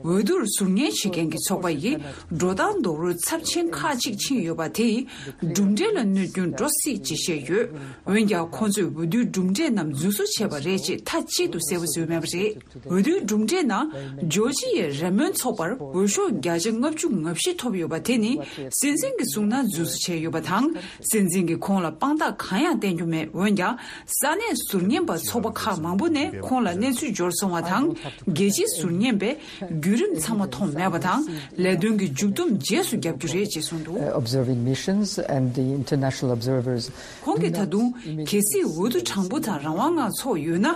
འོས་བསྡུར་ཟུར་ཉན་བྱེད་མཁན་གྱི་ཚོགས་པ་ཡིས་འགྲོ་སྟངས་རྡོག་རོལ་ཚབས་ཆེན་ཁག་ཅིག་ཕྱིན་ཡོད་པ་དེ་ཡིས་གྲུབ་འབྲས་ལ་གནོད་སྐྱོན་འགྲོ་སྲིད་ཅེས་བཤད་ཡོད། འོན་ཀྱང་ཁོང་ཚོས་འོས་བསྡུའི་གྲུབ་འབྲས་རྣམས་འཛུལ་བཟོ་བྱས་པ་རེད་ཅེས་མཐའ་གཅིག་ཏུ་གསལ་པོ་བཟོས་མེད་པ་རེད། འོས་བསྡུའི་གྲུབ་འབྲས་ནང་ཇོར་ཇི་ཡའི་རེ་སྨོན་ཚོགས་པར་འོས་ཤོག་བརྒྱ་ཆ་ལྔ་བཅུ་ང་བཞི་ཐོབ་ཡོད་པ་དེ་ནི་སྲིད་འཛིན་གྱིས་གསུངས་ན་འཛུལ་བཟོ་བྱས་ཡོད་པ་དང་། སྲིད་འཛིན་གྱིས་ཁོང་ལ་དཔང་རྟགས་གང་ཡང་བསྟན་རྒྱུ་མེད། འོན་ཀྱང་། ས་གནས་ཟུར་ཉན་པ་ཚོགས་པ་ཁག་མང་པོ་ནས་ཁོང་ལ་གནས་ཚུལ་འབྱོར་སོང་བ་དང་། རྒྱལ་སྤྱིའི་ཟུར་ཉན་པས་བརྒྱུད་རིམ་ཚང་མ་མཐོང་མེད་པ་དང་། ལས་དོན་གྱི་མཇུག་བསྡོམས་རྗེས་སུ་བརྒྱབ་རྒྱུ་རེད་ཅེས་གསུངས་འདུག Uh, observing missions and the international observers ཁོང་གིས་ད་དུང་། གལ་སྲིད་འོས་བསྡུ་དྲང་པོ་དང་རང་དབང་ངང་ཚོགས་ཡོད་ན།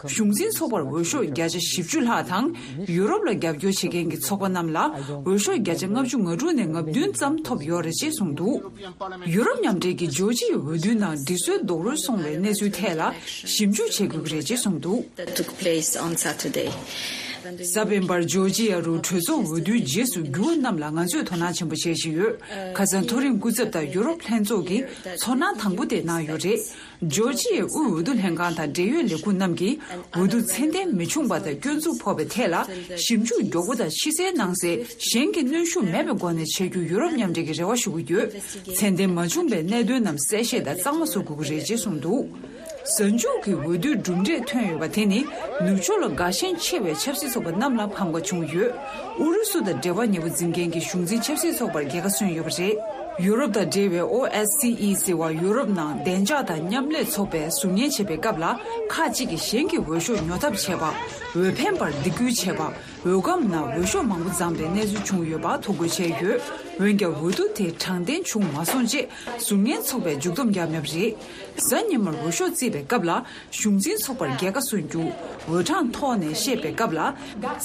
གཞུང་འཛིན་ཚོགས་པར་འོས་ཤོག་བརྒྱ་ཆ་བཞི་བཅུ་ལྷག་དང་། ཡུ་རོབ་ལ་རྒྱབ་སྐྱོར་བྱེད་མཁན་གྱི་ཚོགས་པ་རྣམས་ལ་འོས་ཤོག་བརྒྱ་ཆ་ལྔ་བཅུ་ང་དྲུག་ནས་ལྔ་བདུན་ཙམ་ཐོབ་ཡོད་རེད་ཅེས་གསུངས་འདུག་ཡུ་རོབ་མཉམ་འབྲེལ་གྱིས་ཇོར་ཇི་ཡའི་འོས་བསྡུའི་ནང་སྒྲིག་སྲོལ་རྡོག་རོལ་སོང་བའི་གནས་ཚུལ་ཐད་ལ་ཞིབ་འཇུག་བྱེད་དགོས་ཀྱི་རེད་ཅེས་གསུངས་འདུག That took place on Saturday. གཟའ་སྤེན་པར་ཇོར་ཇི་ཡ་རུ་གྲོས་ཚོགས་འོས་བསྡུའི་རྗེས་སུ་འགྱུར་བ་རྣམས་ལ་ང་ཚོས་དོ་སྣང་ཆེན་པོ་བྱེད་བཞིན་ཡོད། ཁ་སང་མཐོ་རིམ་སྐུ་ཚབ་དང་ཡུ་རོབ་ལྷན་ཚོགས་ཀྱིས་ཚོར་སྣང་དང་པོ་དེ་གནང་ཡོད་རེད། ཇོར་ཇི་ཡའི་དབུས་འོས་བསྡུ་ལྷན་ཁང་དང་འབྲེལ་ཡོད་ལས་ཁུངས་རྣམས་ཀྱིས་འོས་བསྡུ་ཚད་ལྡན་མི་བྱུང་བ་དང་སྐྱོན་འཛུགས་ཕོག་པའི་ཐད་ལ་ཞིབ་འཇུག་མགྱོགས་པོ་དང་ཕྱི་གསལ་ནང་གསལ་གཞན་གྱི་གནོན་ཤུགས་མེད་པའི་སྒོ་ནས་བྱེད་རྒྱུ་ཡུ་རོབ་མཉམ་འབྲེལ་གྱིས་རེ་བ་ཞུ་གི་ཡོད། ཚད་ལྡན་མ་བྱུང་བའི་གནད་དོན་རྣམས་གསལ་བཤད་དང་གཙང་མ་བཟོ་དགོས་ཀྱི་རེད་ཅེས་གསུངས་འདུག་གཟའ་མཇུག་གི་འོས་བསྡུའི་གྲུབ་འབྲས་ཐོན་ཡོད་པ་དེ་ནི་ནུབ་ཕྱོགས་ལ་དགའ་ཞེན་ཆེ་བའི་ཆབ་སྲིད་ཚོགས་པ་རྣམས་ལ་ཕམ་ཁ་བྱུང་ཡོད། ཨུ་རུ་སུ་དང་འབྲེལ་བ་ཉེ་པོ་འཛིན་མཁན་གྱི་གཞུང་འཛིན་ཆབ་སྲིད་ཚོགས་པར་རྒྱལ་ཁ་སོན་ཡོད་པ་རེད། ཡུ་རོབ་དང་འབྲེལ་བའི་ཨོ་ཨེ་སི་ཨི་ཟེར་བ་ཡུ་རོབ་ནང་བདེ་འཇགས་དང་མཉམ་ལས་ཚོགས་པས་ཟུར་ཉན་བྱེད་པའི་སྐབས་ལ་ཁག་ཅིག་གིས་གཞན་གྱི་འོས་ཤོག་ཉོ་ཐབས་བྱས་པ། འོས་འཕེན་པར་སྡིགས་སྐུལ་བྱས་པ། འོས་སྒམ་ནང་འོས་ཤོག་མང་པོ་བརྫངས་པའི་གནས་ཚུལ་བྱུང་ཡོད་པ་ཐོ་འགོད་བྱས་ཡོད། འོན་ཀྱང་འོས་བསྡུ་དེ་དྲང་བདེན་བྱུང་མ་སོང་ཅེས་ཟུར་ཉན་ཚོགས་པས་མཇུག་སྡོམ་བརྒྱབ་མེད་པ་རེད། གཟའ་ཉི་མར་འོས་ཤོག་བརྩིས་པའི་སྐབས་ལ་གཞུང་འཛིན་ཚོགས་པར་རྒྱལ་ཁ་སོན་རྒྱུ། འོས་གྲངས་ཐོག་ནས་བཤད་པའི་སྐབས་ལ།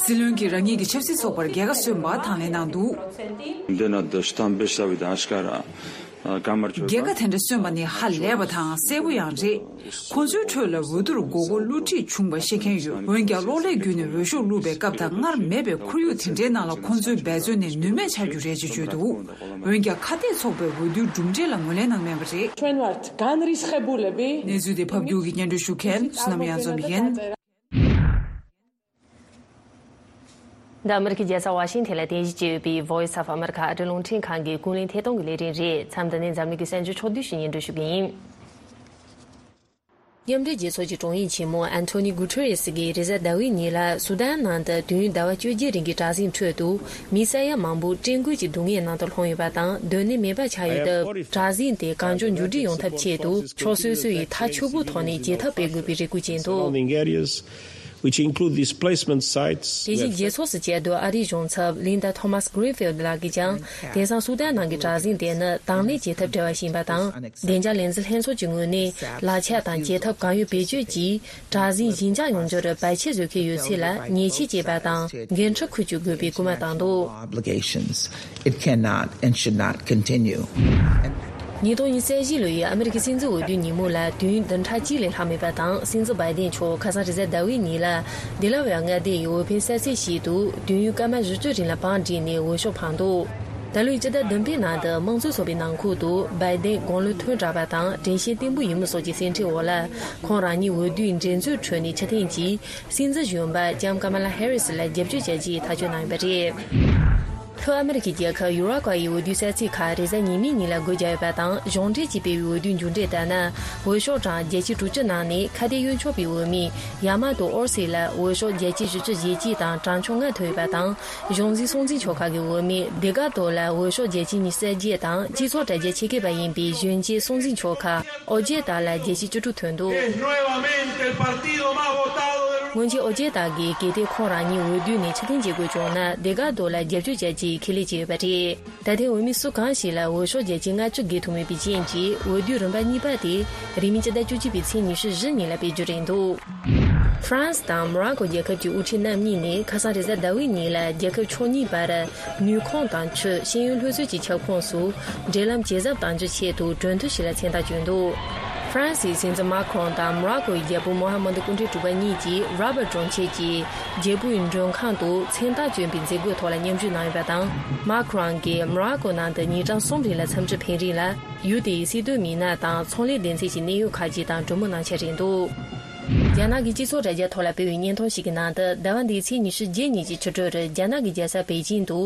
སྲིད་བློན་གྱིས་རང་ཉིད་ཀྱི་ཆབ་སྲིད་ཚོགས་པར་རྒྱལ་ཁ་སོན་པ་དང་ལེན་གནང་འདུག་འདི་ན་དུ་གཏམ་དཔེ་ཞབས་དང་ཨ་ཤ་ཀ་ར་ཀ་མར་ཆོད་རྒྱལ་ཁ་དེ་འདྲ་སོན་པ་ནི་ཧ་ལས་པ་དང་གསལ་པོ་ཡང་རེད། ཁོ་ཚོའི་ཁྲོད་ལ་འོས་བསྡུར་མགོ་སྐོར་བསླུ་བྲིད་བྱུང་བ་ཤེས་མཁན་ཡོད། འོན་ཀྱང་གློག་ཀླད་བརྒྱུད་ནས་འོས་ཤོག་བླུགས་པའི་སྐབས་དང་སྔར་མེད་པའི་ཁོར་ཡུག་དེ་འདྲའི་ནང་ལ་ཁོ་ཚོའི་འབད་བརྩོན་ནི་ནུས་མེད་ཆགས་རྒྱུ་རེད་ཅེས་བརྗོད་འདུག་འོན་ཀྱང་ཁ་གཏད་ཚོགས་པས་འོས་བསྡུའི་གྲུབ་འབྲས་ལ་ངོས་ལེན་གནང་མེད་པ་རེད། ჩვენ ვართ განრისხებულები. གནས་ཚུལ་དེ་ཕབ་སྒྱུར་གྱིས་སྙན་སྒྲོན་ཞུ་མཁན་བསོད་ནམས་གཡང་འཛོམས་ཡིན། འདི་ཨ་མི་རི་ཀའི་རྒྱལ་ས་ཝ་ཤིང་ཐན་ལ་རྟེན་གཞི་བྱས་ཡོད་པའི་Voice of America ཨ་རིའི་རླུང་འཕྲིན་ཁང་གི་ཀུན་གླེང་ཐད་གཏོང་གི་ལས་རིམ་རེད། མཚམས་འདི་ནས་འཛམ་གླིང་གི་གསར་འགྱུར་ཕྱོགས་བསྡུས་ཤིག་སྙན་སྒྲོན་ཞུ་གི་ཡིན། མཉམ་འབྲེལ་རྒྱལ་ཚོགས་ཀྱི་དྲུང་ཡིག་ཆེན་མོ་ཨན་ཐོ་ནི་གུ་ཐེ་རེ་སི་གིས་རེས་གཟའ་ཟླ་བའི་ཉིན་ལ་སུ་དཱན་ནང་དུ་དུས་ཡུན་ཟླ་བ་བཅོ་བརྒྱད་རིང་གི་དྲག་ཟིང་ཁྲོད་དུ་མི་ས་ཡ་མང་པོ་བཀྲེས་སྐོམ་གྱི་སྡུག་བསྔལ་ནང་དུ་ལྷུང་ཡོད་པ་དང་། སྡོད་གནས་མེད་པ་ཆགས་ཡོད་སྟབས། དྲག་ཟིང་དེ་གང་མགྱོགས་མཇུག་སྒྲིལ་ཡོང་ཐབས་ཆེད་དུ་ཕྱོགས་སོ་སོ་ཡིས་ཐག་ཆོད་པོའི་ཐོག་ནས་བྱེད་ཐབས་སྤེལ་དགོས་པའི་རེ་སྐུལ་བྱས་འདུག Surrounding areas. which include displacement sites དེ་བཞིན་རྗེས་ཕྱོགས་སུ་བཅད་དུ་ཨ་རིའི་གཞུང་ཚབ་Linda Thomas Greenfield ལགས་ཀྱིས་ཀྱང་དེང་སང་སུ་དན་ནང་གི་དྲག་ཟིང་དེ་ནི་དང་ལེན་བྱེད་ཐབས་བྲལ་བ་ཞིག་ཡིན་པ་དང་། བདེ་འཇགས་ལས་འཛིན་ལྷན་ཚོགས་ཀྱི་ངོས་ནས་ལག་ཆ་དང་བྱེད་ཐབས་གང་ཡོད་བེད་སྤྱོད་ཀྱིས་དྲག་ཟིང་ཞི་འཇགས་ཡོང་རྒྱུར་བར་ཆད་བཟོ་མཁན་ཡོད་ཚད་ལ་ཉེས་ཆད་བཅད་པ་དང་འགན་འཁྲི་འཁུར་རྒྱུ་དགོས་པའི་སྐུལ་མ་བཏང་འདུག obligations. It cannot and should not continue. ཉིས་སྟོང་ཉི་ཤུ་རྩ་བཞི་ལོའི་ཨ་མི་རི་ཀའི་སྲིད་འཛིན་འོས་བསྡུའི་ཉིན་མོ་ལ་དུས་ཡུན་བདུན་ཕྲག་གཅིག་ལས་ལྷག་མེད་པ་དང་། སྲིད་འཛིན་བྷའི་ཏིན་མཆོག་ཁ་སང་རེས་གཟའ་ཟླ་བའི་ཉིན་ལ་ཌེ་ལ་ཝེར་མངའ་སྡེ་ཡི་འོས་འཕེན་ས་ཚིགས་ཤིག་ཏུ་དུས་ཡུན་སྐར་མ་བཞི་བཅུ་རིང་ལ་བང་བསྒྲིགས་ནས་འོས་ཤོག་འཕངས་འདུག་ད་ལོའི་སྤྱི་ཟླ་བདུན་པའི་ནང་དུ་དམངས་གཙོ་ཚོགས་པའི་ནང་ཁུལ་དུ་བྷའི་ཏིན་དགུང་ལོ་ཐོན་དྲགས་པ་དང་དྲན་ཤེས་བརྟན་པོ་ཡིན་མིན་སོགས་ཀྱི་སེམས་ཁྲལ་འོག་ལ། ཁོང་རང་ཉིད་འོས་བསྡུའི་འགྲན་རྩོད་ཁྲོད་ནས་ཕྱིར་འཐེན་གྱིས། སྲིད་འཛིན་གཞོན་པ་ལྕམ་ཀ་མ་ལ་ཧེ་རི་སི་ལ་རྒྱབ་སྐྱོར་བྱ་རྒྱུའི་ཐག་གཅོད་གནང་ཡོད་པ་རེད། ལྷོ་ཨ་མི་རི་ཀའི་རྒྱལ་ཁབ་ཡུ་ར་ཀྭ་ཡི་འོས་བསྡུའི་ས་ཚིགས་ཁག་རེས་གཟའ་ཉི་མའི་ཉིན་ལ་སྒོ་བརྒྱབ་ཡོད་པ་དང་། གཞུང་འབྲེལ་གྱིས་སྤེལ་བའི་འོས་བསྡུའི་མཇུག་འབྲས་ལྟར་ན། འོས་ཤོག་གྲངས་བརྒྱད་ཅུ་དྲུག་ཅུ་ནང་ནས་ཁ་གཏད་གཡོལ་ཆོག་པའི་འོས་མི་ཡ་མ་ཏོ་ཨོར་སི་ལ་འོས་ཤོག་བརྒྱད་ཅུ་བཞི་བཅུ་ཞེ་གཅིག་དང་གྲངས་ཆོད་ལྔ་ཐོབ་ཡོད་པ་དང་། གཞུང་འཛིན་སྲུང་འཛིན་ཆོག་ཁག་གི་འོས་མི་ཌེ་ག་ཏོ་ལ་འོས་ཤོག་བརྒྱད་ཅུ་ཉི་ཤུ་རྩ་བརྒྱད་དང་། སྤྱི་ཚོགས་དྲ་རྒྱ་ཆེད་མཁས་པ་ཡིན་པའི་གཞོན་སྐྱེས་སྲུང་འཛིན་ཆོག་ཁག་ཨོ་ཇེ་ཏཱ་ལ་བརྒྱད་ཅུ་གྱ་དྲུག་ཐོན་འདུག Es nuevamente el partido más votado del སྔོན་ཆད་ཨོ་ཇེ་ཏཱ་གིས་གལ་ཏེ་ཁོང་རང་ཉིད་འོས་བསྡུ་ནས་ཕྱིར་འཐེན་བྱེད་དགོས་བྱུང་ན། ཌེ་ག་ཏོ་ལ་རྒྱབ་སྐྱོར་བྱ་རྒྱུའི་ཁས་ལེན་བྱས་ཡོད་པ་རེད། ད་ཐེངས་འོས་མི་སུ་གང་ཞིག་ལ་འོས་ཤོག་བརྒྱ་ཆ་ལྔ་བཅུ་བརྒལ་ཐུབ་མེད་པའི་རྐྱེན་གྱིས། འོས་བསྡུའི་རིམ་པ་གཉིས་པ་དེ་རིང་མིན་སྤྱི་ཟླ་བཅུ་གཅིག་པའི་ཚེས་ཉི་ཤུ་བཞི་ཉིན་ལ་སྤེལ་རྒྱུ་རེད་འདུག་ཧྥ་རན་སི་དང་མོ་རོ་ཀོ་རྒྱལ་ཁབ་ཀྱི་དབུ་ཁྲིད་རྣམ་གཉིས་ནས་ཁ་སང་རེས་གཟའ་ཟླ་བའི་ཉིན་ལ་རྒྱལ་ཁབ་ཕྱོགས་གཉིས་བར་ནུས་ཁུངས་དང་ཆུ། ཤེས་ཡོན། ལྷོད་ཚོད་ཀྱི་ཁྱབ་ཁོངས་སུ་འབྲེལ་ལམ་ཇེ་ཟབ་གཏང་རྒྱུའི་ཆེད་དུ་གྲོས་མཐུན་ཞིག་ལ་མཚན་རྟགས་བསྐྱོན་འདུག་ཧྥ་རན་སིའི་སྲིད་འཛིན་མཱ་ཁྲོན་དང་མོ་རོ་ཀོའི་རྒྱལ་པོ་མོ་ཧ་མ་དུ་སྐུ་ཕྲེང་དྲུག་པ་གཉིས་ཀྱིས་ར་བར་གྲོང་ཁྱེར་གྱི་རྒྱལ་པོའི་མགྲོན་ཁང་དུ་མཚན་རྟགས་བསྐྱོན་པའི་མཛད་སྒོའི་ཐོག་ལ་མཉམ་ཞུགས་གནང་ཡོད་པ་དང་། མཱ་ཁྲོན་གྱིས་མོ་རོ་ཀོ་ནང་དུ་ཉིན་གྲངས་གསུམ་རིང་ལ་འཚམས་འདྲི་ཕེབས་རིང་ལ། ཡུལ་དེའི་སྲིད་དོན་མི་སྣ་དང་ཚོང་ལས་སྡེ་ཚན་གྱི་གནད་ཡོད་ཁག་ཅིག་དང་གྲོས་མོལ་གནང་འཆར་རེད་འདུག་རྒྱ་ནག་གི་སྤྱི་ཚོགས་དྲ་རྒྱའི་ཐོག་ལ་སྤེལ་བའི་བརྙན་ཐུང་ཞིག་གི་ནང་དུ། ཟླ་བ་འདིའི་ཚེས་ཉི་ཤུ་བརྒྱད་ཉིན་གྱི་ཕྱི་དྲོར་རྒྱ་ནག་གི་རྒྱལ་ས་པེ་ཅིང་དུ་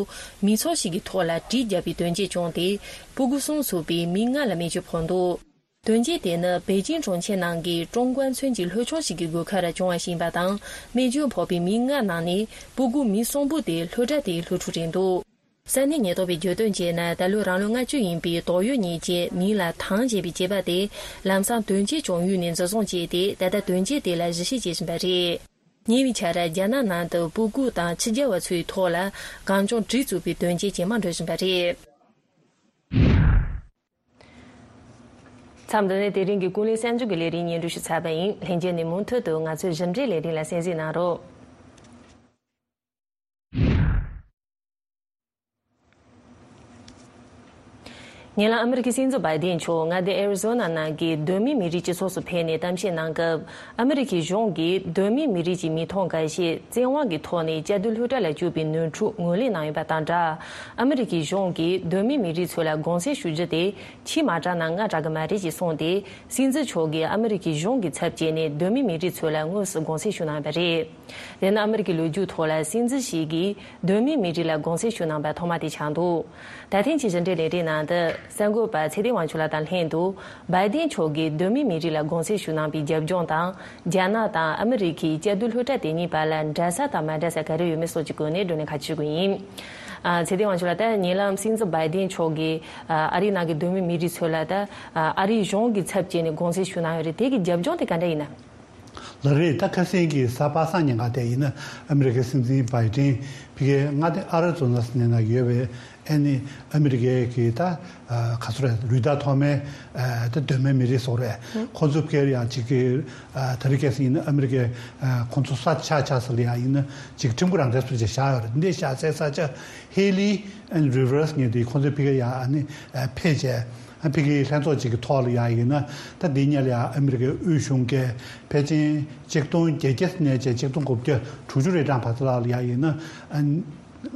མི་ཚོགས་ཤིག་གི་ཐོག་ལ་གྲི་བརྒྱབ་པའི་དོན་རྐྱེན་བྱུང་སྟེ། སྤུ་གུ་གསུམ་ཚུད་པའི་མི་ལྔ་ལ་རྨས་སྐྱོན་ཕོག་འདུག་དོན་རྐྱེན་དེ་ནི་པེ་ཅིང་གྲོང་ཁྱེར་ནང་གི་ཀྲུང་ཀོན་ཚུན་གྱི་ལྷོ་ཕྱོགས་ཤིག་གི་སྒོ་ཁར་བྱུང་བ་ཞིག་ཡིན་པ་དང་། རྨས་སྐྱོན་ཕོག་པའི་མི་ལྔ་ནང་ནས་སྤུ་གུ་མི་གསུམ་པོ་དེ་སློབ་གྲྭ་དེའི་སློབ་ཕྲུག་རེད་འདུག་ས་གནས་ཉེན་རྟོག་པས་བརྗོད་དོན་བྱས་ན། ད་ལོའི་རང་ལོ་ལྔ་བཅུ་ཡིན་པའི་དོགས་ཡོད་ཉེས་ཅན་མིང་ལ་ཐང་ཞེས་པའི་སྐྱེས་པ་དེ་ལམ་སང་དོན་རྐྱེན་བྱུང་ཡུལ་ནས་འཛིན་བཟུང་བྱས་ཏེ། ད་ལྟ་དོན་རྐྱེན་དེ་ལ་གཞི་བྱེད་བྱེད་བཞིན་པ་རེད། ཉེ་བའི་ཆར་རྒྱ་ནག་ནང་དུ་སྤུ་གུ་དང་ཕྱི་རྒྱལ་བ་ཚོའི་ཐོག་ལ་གང་བྱུང་གྲི་བཙུགས་པའི་དོན་རྐྱེན་ཇེ་མང་འགྲོ་བཞིན་པ་རེད། མཚམས་འདི་ནས་དེ་རིང་གི་ཀུན་གླེང་གསར་འགྱུར་གྱི་ལས་རིམ་སྙན་སྒྲོན་ཞུས་ཚར་བ་ཡིན། ལྷན་རྒྱས་ནས་མུ་མཐུད་དུ་ང་ཚོའི་གཞི་འབྲེལ་ལས་རིམ་ལ་གསན་གཟིགས་གནང་རོགས། ཉེ་ལམ་ཨ་མི་རི་ཀའི་སྲིད་འཛིན་བྷའི་ཏིན་མཆོག་མངའ་སྡེ་ཨེ་རི་ཛོ་ན་ནང་གི་གདོད་མའི་མི་རིགས་སྤྱི་ཚོགས་སུ་ཕེབས་ནས་གཏམ་བཤད་གནང་སྐབས། ཨ་མི་རི་ཀའི་གཞུང་གིས་གདོད་མའི་མི་རིགས་ཀྱི་མི་ཐོག་འགའ་ཤས་བཙན་དབང་གི་ཐོག་ནས་དཔྱ་སྡོད་སློབ་གྲྭ་ལ་བཅུག་པའི་ནོར་འཁྲུལ་ངོས་ལེན་གནང་ཡོད་པ་དང་སྦྲགས། ཨ་མི་རི་ཀའི་གཞུང་གིས་གདོད་མའི་མི་རིགས་ཚོ་ལ་དགོངས་སེལ་ཞུ་རྒྱུ་དེ་ཆེས་མ་དྲག་ན་སྔ་དྲག་གི་མ་རེད་ཅེས་གསུངས་ཏེ། སྲིད་འཛིན་མཆོག་གིས་ཨ་མི་རི་ཀའི་གཞུང་གི་ཚབ་བྱས་ནས་གདོད་མའི་མི་རིགས་ཚོ་ལ་དངོས་སུ་དགོངས་སེལ་ཞུ་གནང་ཡོད་པ་རེད། དེ་ནི་ཨ་མི་རི་ཀའི་ལོ་རྒྱུས་ཐོག་ལ་སྲིད་འཛིན་ཞིག་གིས་གདོད་མའི་མི་རིགས་ལ་དགོངས་སེལ་ཞུ་གནང་པ་ཐོག་མ་དེ་ཆགས་འདུག་ད་ཐེངས་ཀྱི་གཞི་འབྲེལ་ལས་རིམ་ནང་དུ་གསར་འགོད་པ་ཚེ་བརྟན་དབང་ཕྱུག་ལགས་དང་ལྷན་དུ། བྷའི་ཏིན་མཆོག་གིས་གདོད་མའི་མི་རིགས་ལ་དགོངས་སེལ་ཞུ་གནང་པའི་རྒྱབ་ལྗོངས་དང་། རྒྱ་ནག་དང་ཨ་མི་རི་ཀའི་དཔྱ་སྡོད་སློབ་གྲྭ་དེ་གཉིས་བར་ལ་འདྲ་ས་དང་མ་འདྲ་ས་ག་རེ་ཡོད་མེད་སོགས་ཀྱི་སྐོར་ནས་བགྲོ་གླེང་ཁ་ཕྱེ་དགོས་ཡིན། ཨ། ཚེ་བརྟན་དབང་ཕྱུག་ལགས། ད་ཉེ་ལམ་སྲིད་འཛིན་བྷའི་ཏིན་མཆོག་གིས་ཨ་རིའི་ནང་གི་གདོད་མའི་མི་རིགས་ཚོ་ལ། ད་ཨ་རིའི་གཞུང་གི་ཚབ་བྱས་ནས་དགོངས་སེལ་ཞུ་གནང་ཡོད་རེད། དེ་གི་རྒྱབ་ལྗོངས་དེ་ག་འདྲ་ཡིན་ན། ལགས་རེད། ད་ཁ་སང་གི་གཟའ་པ་སངས་ཉིན་ཀ་དེ་ཡིན་ན། ཨ་མི་རི་ཀའི་སྲིད་འཛིན་བྷའི་ཏིན་ཕ་གིའི་མངའ་སྡེ་ཨ་རི་ཛོ་ན་ཟེར་ནས་ན་ཡོད་པའི་ཨ་ནི་ཨ་མི་རི་ཀའི་གི་ད་ག་ཚོད་རེད། རུ་སྟར་ཐོག་མའི་ད་གདོད་མའི་མི་རིགས་སོགས་རེད། ཁོང་ཚོ་ཕ་གིར་ཡང་ཅིག་གི་ད་རེས་ཁ་སང་ཡིན་ན་ཨ་མི་རི་ཀའི་ཁོང་ཚོ་ས་ཆ་ཆ་ས་ལ་ཡང་ཡིན་ན་ཅིག་ཁྲིམས་ཁང་རང་བཙན་སོགས་ཅིག་བཞག་ཡོད་རེད། འདི་བཞག་སའི་ས་ཆ་ཧེ་ལི་ཨན་རི་ཝར་སི་ངེས་དེ་ཁོང་ཚོའི་ཕ་གིར་ཡང་ཨ་ནི་ཕེབས་བྱས། ཨ་ཕ་གིའི་ལྷན་ཚོགས་ཅིག་གི་ཐོག་ལ་ཡང་ཡིན་ན། ད་འདི་ཉིད་ལ་ཡང་ཨ་མི་རི་ཀའི་དབུས་གཞུང་གིས་ཕལ་ཆེར་ཆིག་སྟོང་བརྒྱད་བརྒྱ་ནས་བྱས་ཆིག་སྟོང་དགུ་བརྒྱ་དྲུག་ཅུ་རེ་གྲངས་བར་དུ་ལ་ཡང་ཡིན་ན། ཨ་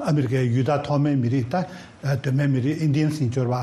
ཨ་མི་རི་ཀའི་ཡུལ་དང་ཐོག་མའི་མི་རིགས། ད་གདོད་མའི་མི་རིགས་ཨིན་ཌི་ཡན་ཟེར་འབྱོར་བ།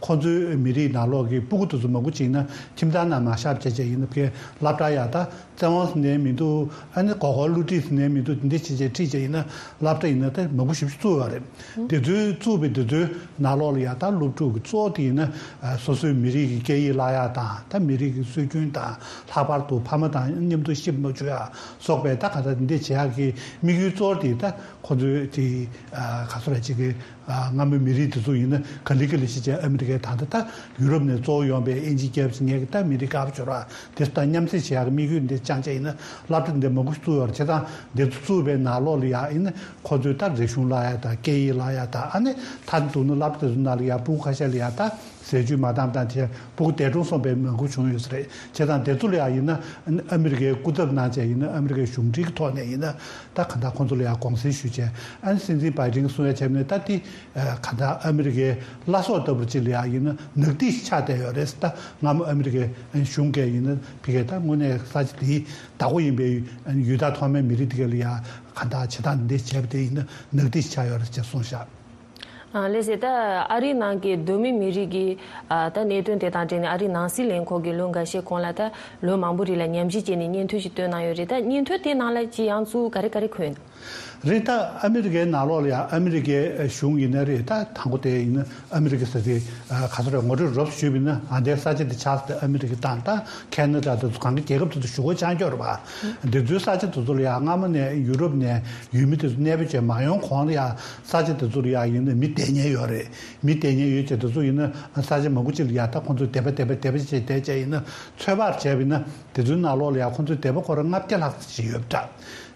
ཁོང་ཚོའི་མི་རིགས་ནང་ལོགས་ཀྱི་སྤུ་གུ་དེ་ཚོ་མང་པོ་ཅིག་ཡིན་ན་ཁྱིམ་ཚང་ནང་མ་བཞག་བྱས་བྱས་ཡིན་ན། ཕ་གིའི་སློབ་གྲྭ་ཡང་ད་བཙན་དབང་ཟེར་ནའི་མི་འདུག་ཨ་ནི་མགོ་སྐོར་བསླུ་བྲིད་ཟེར་ནའི་མི་འདུག་འདི་འདྲ་བྱས་བྱས་ཁྲིད་བྱས་ཡིན་ན། སློབ་གྲྭ་ཡིན་ན་ད་མང་པོ་ཞེ་པོ་ཅིག་བཙུགས་ཡོད་རེད། དེ་ཚོའི་བཙུགས་པའི་དེ་ཚོའི་ནང་ལོགས་ལ་ཡང་ད་སློབ་ཕྲུག་གི་གཙོ་བོ་དེ་ཡིན་ན། ཨ་སོ་སོའི་མི་རིགས་ཀྱི་སྐད་ཡིག་བརླག་ཡག་དང་། ད་མི་རིགས་ཀྱི་སྲོལ་རྒྱུན་དང་། ལྷག་པར་དུ་ཕ་མ་དང་མཉམ་དུ་གཤིབ་མ་བཅུག་ཡག་སོགས་པའི་ད་ག་ད་འདི་བྱེད་ཡག་གི་དམིགས་ཡུལ་གཙོ་བོ་དེ། ད་ཁོ་ཚོའི་དེ་ཨ་ག་ཚོད་རེད། ཅིག་གི་ ཨ། སྔ་མོའི་མི་རིགས་དེ་ཚོ་ཡིན་ན་ག་ལེ་ག་ལེ་བྱས་བྱས་ཨ་མི་རི་ཀའི། ད་ལྟ་ད་ཡུ་རོབ་ནས་གཙོ་བོ་ཡོང་པའི་དབྱིན་ཇི་རྒྱལ་ཁབ་ཅིག་ངས་ཀྱི་ད་མི་རིགས་དཀར་པོ་ཅིག་ཡོད་རེད་པ། དེ་ད་མཉམ་བསྲེས་བྱེད་ཡག་གི་དམིགས་ཡུལ་འདི་བཅངས་བྱས་ཡིན་ན། སློབ་གྲྭ་འདི་མང་པོ་ཞིག་བཙུགས་ཡོད་རེད། བྱས་ཙང་འདི་ཚོ་བཙུགས་པའི་ནང་ལོགས་ལ་ཡ་ཡིན་ན་ཁོ་ཚོས་ད་རིག་གཞུང་བསླབ་ཡ་དང་སྐད་ཡིག་བསླབ་ཡ་དང་། ཨ་ནི་མཐར་གཏུགས་ན་སློབ་གྲྭ་དེ་ཚོ་ནང་ལ་ཡ་ཕྲུ་གུ་ཁ་ཤས་ལ་ཡ་ད་ཟས་བཅུད་མ་འདང་དང་། དེ་ཕྲུ་གུ་འདས་གྲོངས་སོང་པའི་མང་པོ་བྱུང་ཡོད་ས་རེད། བྱས་ཙང་དེ་ཚོ་ལ་ཡ་ཡིན་ན་ཨ་མི་རི་ཀའི་སྐུ་ཚབ་གནང་བྱས་ཡིན་ན། ཨ་མི་རི་ཀའི་གཞུང་འབྲེལ་གྱི་ཐོག་ནས་ཡིན་ན་ད་གང་ལྟར་ཁོང་ཚོ་ལ་ཡ་དགོངས་སེལ་ཞུས་བྱས། ཨ་ནི་སྲིད་འཛིན་བྷའི་ཌེན་གྱིས་གསུང་ཡ་བྱས་ནས། ད་དེ་གང་ལྟར་ཨ་མི་རི་ཀའི་བླ་སྲོག་ལྟ་བུར་ཅིག་ལ་ཡ་ཡིན་ན་ནག་ཐིག་ཆགས་བསྡད་ཡོད་རེད། ད་སྔ་མོ་ཨ་མི་རི་ཀའི་གཞུང་གིས་ཡིན་ན་ཕ་གིར་ད་དངོས་གནས་ས་ཆ་དེའི་བདག་པོ་ཡིན་པའི་ཡུལ་དང་ཐོག་མའི་མི་རིགས་དེ་ག་ལ་ཡ་གང་ལྟར་བྱེད་སྟངས་འདི་བྱས་པ་དེ་ཡིན་ན་ནག་ཐིག་ཆགས་ཡོད་རེད་ཅེས་གསུངས་བཞག། ཨ། ལགས་སེ། ད་ཨ་རིའི་ནང་གི་གདོད་མའི་མི་རིགས་ཀྱི། ཨ། ད་གནད་དོན་དེ་དང་འབྲེལ་ནས་ཨ་རིའི་ནང་སྲིད་ལས་ཁུངས་ཀྱིས་ལོ་འགའ་ཤས་གོང་ལ་ད་ལོ་མང་པོ་རིང་ལ་ཉམས་ཞིབ་བྱས་ནས་སྙན་ཐོ་ཞིག་བཏོན་གནང་ཡོད་རེད། ད་སྙན་ཐོ་དེ་ནང་ལ་ཅི་ཡང་ཚུར་ག་རེ་ག་རེ་འཁོད་ཡོད། རེད། ད་ཨ་མི་རི་ཀའི་ནང་ལོགས་ལ་ཡང་ཨ་མི་རི་ཀའི་གཞུང་ཡིན་ན་རེད། ད་དང་པོ་དེ་ཡིན་ན་ཨ་མི་རི་ཀ་ཟེར་དེ་ག་ཚོད་རེད། ངོ་སྤྲོད་རོབ་ཞུས་པ་ཡིན་ན། ཨ། འདིའི་ས་ཆ་དེ་ཆགས་ས་དེ་ཨ་མི་རི་ཀ་དང་ད་ཁེ་ན་ཌ་དེ་ཚོ་གང་གི་རྒྱལ་ཁབ་དེ་ཚོ་ཞུ་སྒོ་ཆགས་ཀྱི་ཡོད་རེད་པ། འདི་ཚོའི་ས་ཆ་དེ་ཚོ་ལ་ཡང་སྔ་མོ་ནས་ཡུ་རོབ་ནས་ཡུལ་མི་དེ་ཚོ་གནས་སྤོ་བྱས་མ་ཡོང་གོང་ལ་ཡང་ས་ཆ་དེ་ཚོ་ལ་ཡང་ཡིན་ན་མི་བསྡད་མཁན་ཡོད་རེད། མི་བསྡད་མཁན་ཡོད་ཅེས། དེ་ཚོ་ཡིན་ན་ས་ཆ་མང་པོ་ཅིག་ལ་ཡང་ད་ཁོང་ཚོས་སྡེ་པ་སྡེ་པ་སྡེ་པ་བྱས་བསྡད་བྱས་ཡིན་ན། ཚོད་དཔག་བྱས་པ་ཡིན་ན་དེ་ཚོའི་ནང་ལོགས་ལ་ཡང་ཁོང་ཚོའི་སྡེ་པ་སྐོར་ལྔ་བརྒྱ་ལྷག་ཙམ་ཞིག་ཡོད་པ་འདྲ།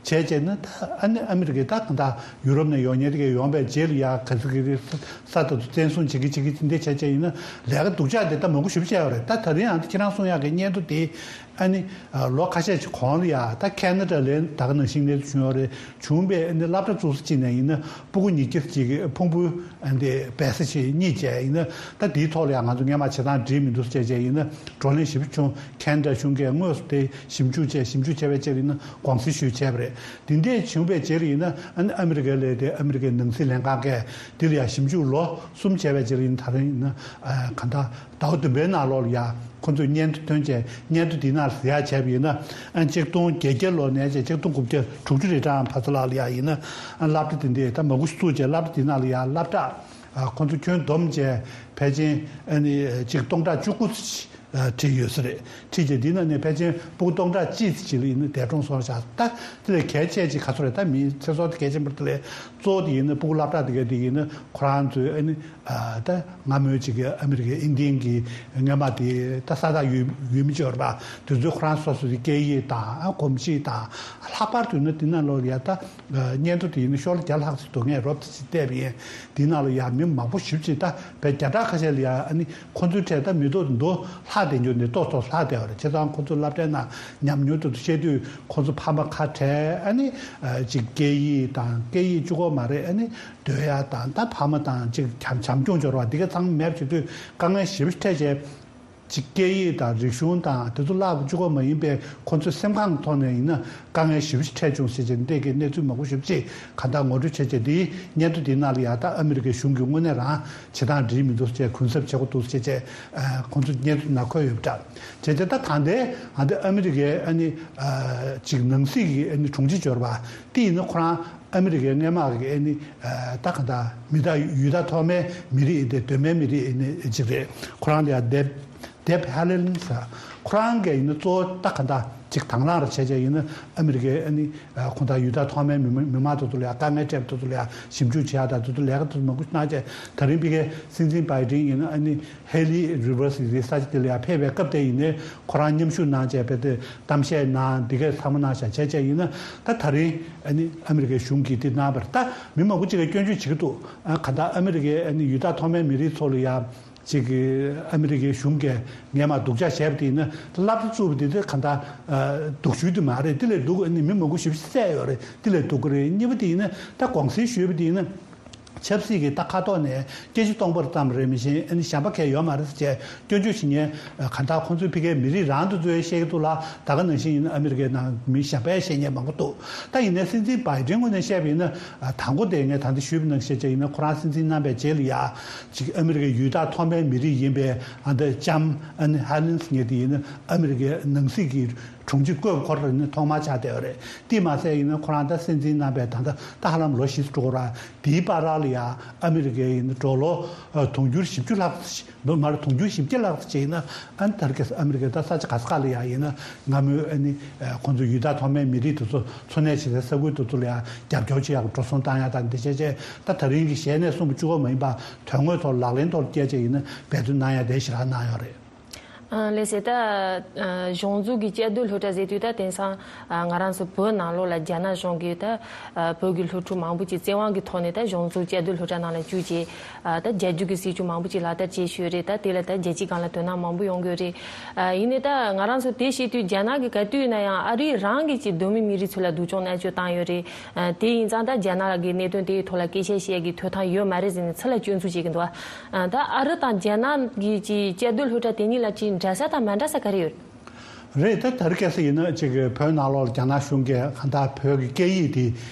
བྱས་བྱས་ན་ད་ཨ་ནི་ཨ་མི་རི་ཀའི་ད་གང་ལྟར་ཡུ་རོབ་ནས་ཡོང་མཁན་དེ་གས་ཡོང་པའི་རྗེས་ལ་ཡ་ག་ཚོད་ཀྱི་རེད། ས་ས་དེ་ཚོ་བཙན་བཟུང་བྱེད་ཀྱི་བྱེད་ཀྱི་དེ་འདྲ་བྱས་བྱས་ཡིན་ན་ལས་ཀ་སྡུག་ཅག་དེ་ད་མང་པོ་ཞེ་པོ་བྱས་ཡོད་རེད། ད་ད་རིང་ཡང་ད་ཁྱེད་རང་གསུང་ཡག་གི་སྙན་ཐོ་དེ་ཨ་ནི་ལོ་ཁ་ཤས་ཀྱི་གོང་ལ་ཡ་ད་ཁེ་ན་ཌ་ལ་ད་ག་ནང་བཞིན་གནས་ཚུལ་བྱུང་ཡོད་རེད། བྱུང་བའི་ཨ་ནི་སློབ་གྲྭ་བཙུགས་ས་གཅིག་ནས་ཡིན་ན་ཕྲུ་གུ་ཉིས་བརྒྱ་ཅིག་གི་ཕུང་པོའི་ཨ་ནི་སྦས་ས་ཞིག་རྙེད་བྱས་ཡིན་ན། ད་དེའི་ཐོག་ལ་ཡང་ང་ཚོ་སྔོན་མ་བྱེད་སྟངས་འགྲིག་མི་འདུག་ཟེར་བྱས་བྱས་ཡིན་ན་བགྲོ་གླེང་ཞེ་པོ་བྱུང་། ཁེ་ན་ཌ་གཞུང་གིས་དངོས་སུ་དེ་ཞིབ་འཇུག་བྱས། ཞིབ་འཇུག་བྱས་པའི་རྗེས་ལ་ཡིན་ན་དགོངས་སེལ་ཞུས་བྱས་པ་རེད། དེ་འདྲས་བྱུང་བའི་རྗེས་ལ་ཡིན་ན་ཨ་ནི་ཨ་མི་རི་ཀའི་ལས་དེ་ཨ་མི་རི་ཀའི་ནང་སྲིད་ལྷན་ཁང་གིས་དེ་ལ་ཡང་ཞིབ་འཇུག་ལོ་གསུམ་བྱས་པའི་རྗེས་ལ་ཡིན་ན། ད་རིང་ཡིན་ན་ཨ་གང་ལྟར་ཟླ་བ་བདུན་པའི་ནང་ལོགས་ལ་ཡང་ཁོང་ཚོས་སྙན་ཐོ་བཏོན་བྱས། སྙན་ཐོ་དེའི་ནང་ལ་གཟིགས་ཡག་བྱས་པ་ཡིན་ན། ཨ་ནི་ཆིག་སྟོང་བརྒྱད་བརྒྱ་ལོ་ནས་བྱས་ཆིག་སྟོང་དགུ་བརྒྱ་དྲུག་ཅུ་རེ་གྲངས་བར་དུ་ལ་ཡང་ཡིན་ན། ཨ་སློབ་གྲྭ་དེ་འདྲས་ད་མང་པོ་ཞིག་བཙུགས་བྱས། སློབ་གྲྭ་དེའི་ནང་ལ་ཡང་སློབ་གྲྭ་ཨ་ཁོང་ཚོ་ཁྱོན་བསྡོམས་བྱས་ཕལ་ཆེར་ཨ་ནི་ཆིག་སྟོང་ཕྲག་བཅུ་དགུ་ཙམ་ཨ་ཁྲིད་ཡོད་ས་རེད། ཁྲིད་བྱས་དེའི་ནང་ནས་ཕལ་ཆེར་ཕྲུ་གུ་སྟོང་ཕྲག་གཅིག་ཙམ་ཅིག་ལ་ཡིན་ན་འདས་གྲོངས་སོང་བཞག། ད་དེ་ལས་གལ་ཆེ་ཅིག་ག་ཚོད་རེད། ད་མིའི་ཚེ་སྲོག་དེ་གལ་ཆེན་པོ་རེད། དེ་ལས་གཙོ་བོ་དེ་ཡིན་ན་ཕྲུ་གུ་སློབ་གྲྭ་དེ་ག་དེ་ཡིན་ན་ཁོ་རང་ཚོའི་ཨ་ནི་ཨ་ད་སྔ་མོའི་ཅིག་གི་ཨ་མི་རི་ཀའི་ཨིན་ཌི་ཡན་གྱི་སྔོན་མ་དེ་ད་ས་ཐག་ཡོད་ཡོད་མི་ཅིག་ཡོད་རེད་པ། དེ་ཚོས་ཁོ་རང་སོ་སོ་གི་སྐད་ཡིག་དང་ཨ་གོམས་གཤིས་དང་། ལྷག་པར་དུ་ཡིན་ན་དེ་ནང་ལོགས་ལ་ཡ་ད་སྙན་ཐོ་དེ་ཡིན་ན་ཤོག་ལྷེ་བརྒྱ་ལྷག་ཙམ་འདུག་ངས་རོབ་ཙམ་ཅིག་བལྟས་པ་ཡིན། དེའི་ནང་ལ་ཡ་མི་མང་པོ་ཞེ་པོ་ཅིག་ད་བས་བརྒྱ་ཕྲག་ཁ་ཤས་ལ་ཡ་ཨ་ནི་ཁོ་ཚོའི་གྲས་ད་མི་ཐོག་མདོ་ལྷག་བསྡད་རྒྱུ་འདི་ཏོག་ཏོག་ལྷག་བསྡད་པ་རེད། བྱས་ཙང་ཁོ་ཚོ་སློབ་གྲྭའི་ནང་ཉམས་མྱོང་དེ་ཚོ་བཤད་དུས་ཁོ་ཚོ་ཕ་མ་ཁ་བྲལ། ཨ་ནི་ཨ་ཅིག་སྐད་ཡིག་དང་། སྐད་ཡིག་གཅིག་པོ་མ་རེད། ཨ་ནི་སྡོད་ཡ་དང་། ད་ཕ་མ་དང་ཅིག་བྱམས་བྱམས་སྐྱོང་འབྱོར་བ་འདི་ག་ཚང་མེད་པ་བྱེད་དུས་དཀའ་ངལ་ཞེ་པོ་ཅིག་འཕྲད་བྱས། ཅིག་སྐད་ཡིག་དང་རིག་གཞུང་དང་དེ་ཚོ་བསླབ་གཅིག་པོ་མ་ཡིན་པའི་ཁོ་ཚོའི་སེམས་ཁམས་ཐོག་ནས་ཡིན་ན་དཀའ་ངལ་ཞེ་པོ་ཅིག་འཕྲད་བྱུང་ཟེར་བྱས་འདི་གའི་གནས་ཚུལ་མང་པོ་ཞེ་པོ་ཅིག་གང་ལྟར་ངོ་སྤྲོད་བྱས་བྱས། དེའི་སྙན་ཐོ་དེའི་ནང་ལ་ཡ་ད་ཨ་མི་རི་ཀའི་གཞུང་གིས་དངོས་གནས་རང་བྱེད་སྟངས་འགྲིག་མི་འདུག་ཟེར་བྱས། གུན་གསབ་བྱེད་དགོས་འདུག་ཟེར་བྱས། ཁོང་ཚོ་སྙན་ཐོ་ནང་འཁོད་ཡོད་པ་འདྲ། བྱས་བྱས་ད་ད་ལྟའི་ཨ་འདི་ཨ་མི་རི་ཀའི་ཨ་ནི་ཅིག་ནང་སྲིད་ཀྱི་ཨ་ནི་དྲུང་ཆེ་འབྱོར་བ་དེ་ཡིན་ན་ཁོ་རང་ཨ་མི་རི་ཀའི་སྔོན་མ་གི་ཨ་ནི་ད་གང་ལྟར་མི་ད་ཡུལ་ད་ཐོག་མའི་མི་རིགས་ཨ་ནི་གདོད་མའི་མི་རིགས་ཨ་ནི་ཅིག་རེད། ཁོ་རང་ལ་ཡ་དེབ་དེབ་ཧ་ལེན་ཟེར། ཁོ་རང་གིས་ཡིན་ན་གཙོ་བོ་ད་ག་འདྲ་ཅིག་དང་བླངས་རེ་བྱས་བྱས་ཡིན་ན་ཨ་མི་རི་ཀའི་ཨ་ནི་ཁོང་ད་ཡུལ་ད་ཐོག་མའི་མི་མི་མང་དེ་ཚོ་ལ་ཡ་དཀའ་ངལ་འཕྲད་པ་དེ་ཚོ་ལ་ཡ་ཞིབ་འཇུག་བྱེད་ཡ་དང་། དེ་ཚོ་ལས་ཀ་དེ་ཚོ་མང་པོ་གནང་བྱས། ད་རིང་ཕ་གིའི་སྲིད་འཛིན་བྷའི་ཌེན་ཡིན་ན་ཨ་ནི་ཧེ་ལི་རི་ཝར་སི་ཡི་ས་ཆ་དེ་ལ་ཡ་ཕེབས་པའི་སྐབས་དེ་ཡིན་ནའི་ཁོ་རང་མཉམ་ཞུགས་གནང་བྱས། དཔེ་དེ་གཏམ་བཤད་གནང་། འདི་གས་ཚང་མ་གནང་བཞག་བྱས་བྱས་ཡིན་ན། ད་ད་རིང་ཨ་ནི་ཨ་མི་རི་ཀའི་གཞུང་གིས་དེ་གནང་བར་ད་མི་མང་པོ་ཅིག་གིས་སྐྱོན་བརྗོད་བྱེད་ཀྱི་འདུག། ཨ་ག་འདྲ་ཨ་མི་རི་ཀའི་ཨ་ནི་ཡུལ་ད་ཐོག་མའི་མི་རིགས་ཚོ་ལ་ཡ། ཅིག་གི་ཨ་མི་རི་ཀའི་གཞུང་གིས་སྔོན་མ་སྡུག་ཅག་བྱས་པ་དེ་ཡིན་ན་སློབ་གྲྭ་བཙུགས་པ་དེ་དེ་ག་འདྲ་ཨ་སྡུག་ཤོས་དེ་མ་རེད། དེ་ལས་སྡུག་ཨ་ནི་མི་མང་པོ་ཞེ་པོ་ཅིག་བསད་ཡོད་རེད། དེ་ལས་སྡུག་གི་རེད། གཉིས་པ་དེ་ཡིན་ན་ད་དགོངས་སེལ་ཞུས་པ་དེ་ཡིན་ན་ཆབ་སྲིད་ཀྱི་ད་ཁ་ཐོག་ནས་སྐད་ཆ་གཏོང་བར་ཙམ་རེད། མི་གཞན་ཨ་ནི་གཞན་པ་གང་ཡང་ཡོད་མ་རེད་ཟེར་བྱས་སྐྱོན་བརྗོད་བྱེད་མཁན་ག་འདྲ་ཁོང་ཚོའི་ཕ་གིའི་མི་རིགས་རང་དུ་ཚོས་བཤད་ཀྱི་འདུག་ལ། ད་ག་ནང་བཞིན་ཡིན་ན་ཨ་མི་རི་ཀའི་ནང་མི་གཞན་པས་བཤད་མཁན་མང་པོ་འདུག། ད་ཡིན་ནའི་སྲིད་འཛིན་བྷའི་ཌེན་ངོས་ནས་བཤད་པ་ཡིན་ན། ཨ་དང་པོ་དེ་ངས་ད་ལྟ་ཞུས་པ་ནང་བཞིན་བྱས་ཡིན་ན་ཁོ་རང་སྲིད་འཛིན་གནང་པའི་རྗེས་ལ་ཡ་ཅིག་ཨ་མི་རི་ཀའི་ཡུལ་དང་ཐོག་མའི་མི་རིགས་ཡིན་པའི་ཨ་འདི་ལྕམ་ཨ་ནི་ཧ་ལིན་སི་ངེད་དེ་ཡིན་ན་ཨ་མི་རི་ཀའི་ནང་སྲིད་ཀྱི་དྲུང་ཆེ་བསྐོས་པ་ཁོ་རང་ནི་ཐོག་མ་ཆགས་བསྡད་ཡོད་རེད། དེས་མ་ཟད་ཡིན་ན་ཁོ་རང་ད་སྲིད་འཛིན་གནང་པའི་ད་ལྟ་ད་ཧ་ལམ་ལོ་བཞི་ཙམ་འགྲོ་གི་རེད། དེའི་བར་ལ་ ཡ་ཨ་མི་རི་ཀའི་ཡིན་ན་ཌོ་ལར་ཨ་དུང་ཕྱུར་བཞི་བཅུ་ལྷག་ཙམ་ཞིག་འདུག་མ་རེད། དུང་ཕྱུར་བཞི་བརྒྱ་ལྷག་ཙམ་ཅིག་ཡིན་ན་ཨ་ནི་ད་རེས་ཨ་མི་རི་ཀའི་ད་ས་ཆ་ག་ས་ག་ལ་ཡ་ཡིན་ན་སྔ་མོའི་ཨ་ནི་ཁོང་ཚོ་ཡུལ་དང་ཐོག་མའི་མི་རིགས་དེ་ཚོ་འཚོ་གནས་བྱེད་སའི་ས་ཁུལ་དེ་ཚོ་ལ་ཡ་རྒྱབ་སྐྱོར་བྱེད་ཡག་གི་འགྲོ་སོང་བཏང་ཡ་དང་འདི་བྱས་བྱས་ད་ད་རིང་གི་གཞས་ནས་གསུངས་པ་གཅིག་པོ་མ་ཡིན་པ་དོན་དངོས་ཐོག་ལག་ལེན་ཐོག་ལ་བསྐྱལ་བྱས་ཡིན་ན་འབད་བརྩོན་གནང་ཡ་དེ་ཞེ་དྲག་གནང་ཡོད་རེད། ལགས་སེ། ད་གཞུང་འཛུགས་ཀྱི་བཅའ་སྡོད་སློབ་གྲྭ་ཟེར་དུས་ད་དེང་སང་ང་རང་ཚོ་བོད་ནང་ལོགས་ལ་རྒྱ་ནག་གཞུང་གིས་ད་བོད་ཀྱི་སློབ་ཕྲུག་མང་པོ་ཅིག་བཙན་དབང་གི་ཐོག་ནས་ད་གཞུང་འཛུགས་བཅའ་སྡོད་སློབ་གྲྭ་ནང་ལ་བཅུག་བྱས་ད་རྒྱ་སྒྱུར་གྱི་སྲིད་བྱུས་མང་པོ་ཅིག་ལག་བསྟར་བྱས་ཡོད་རེད། ད་དེ་ལ་ད་རྒྱལ་སྤྱིའི་སྒང་ལ་དོ་སྣང་མང་པོ་ཡོང་གི་ཡོད་རེད། ཡིན་ནའི་ད་ང་རང་ཚོ་དེ་བཤད་དུས་རྒྱ་ནག་གིས་ག་དུས་ཡིན་ན་ཡང་ཨ་རི་རང་གི་ཅིག་གདོད་མའི་མི་རིགས་ཚོ་ལ་སྡུག་སྦྱོང་མནར་གཅོད་བཏང་ཡོད་རེད། དེ་ཡིན་ཙང་ད་རྒྱ་ནག་གི་གནད་དོན་དེའི་ཐོག་ལ་སྐད་ཆ་བཤད་ཀྱི་ཐོབ་ཐང་ཡོད་མ་རེད་ཟེར་ནས་ཚུར་ལ་སྐྱོན་འཛུགས་བྱེད་ཀྱི་འདུག་ད་ཨ་རི་དང་རྒྱ་ནག་གི་ཅིག་བཅའ་སྡོད་སློབ་གྲྭ་དེ་གཉིས་ལ་ཅིག་འདྲ་ས་དང་མ་འདྲ་ས་ག་རེ་ཡོད། རེད། ད་ད་རེས་སྐབས་སུ་ཡིན་ན་ཅིག་བོད་ནང་ལོགས་རྒྱ་ནག་གཞུང་གིས་གང་ལྟར་བོད་ཀྱི་སྐད་ཡིག་དེ་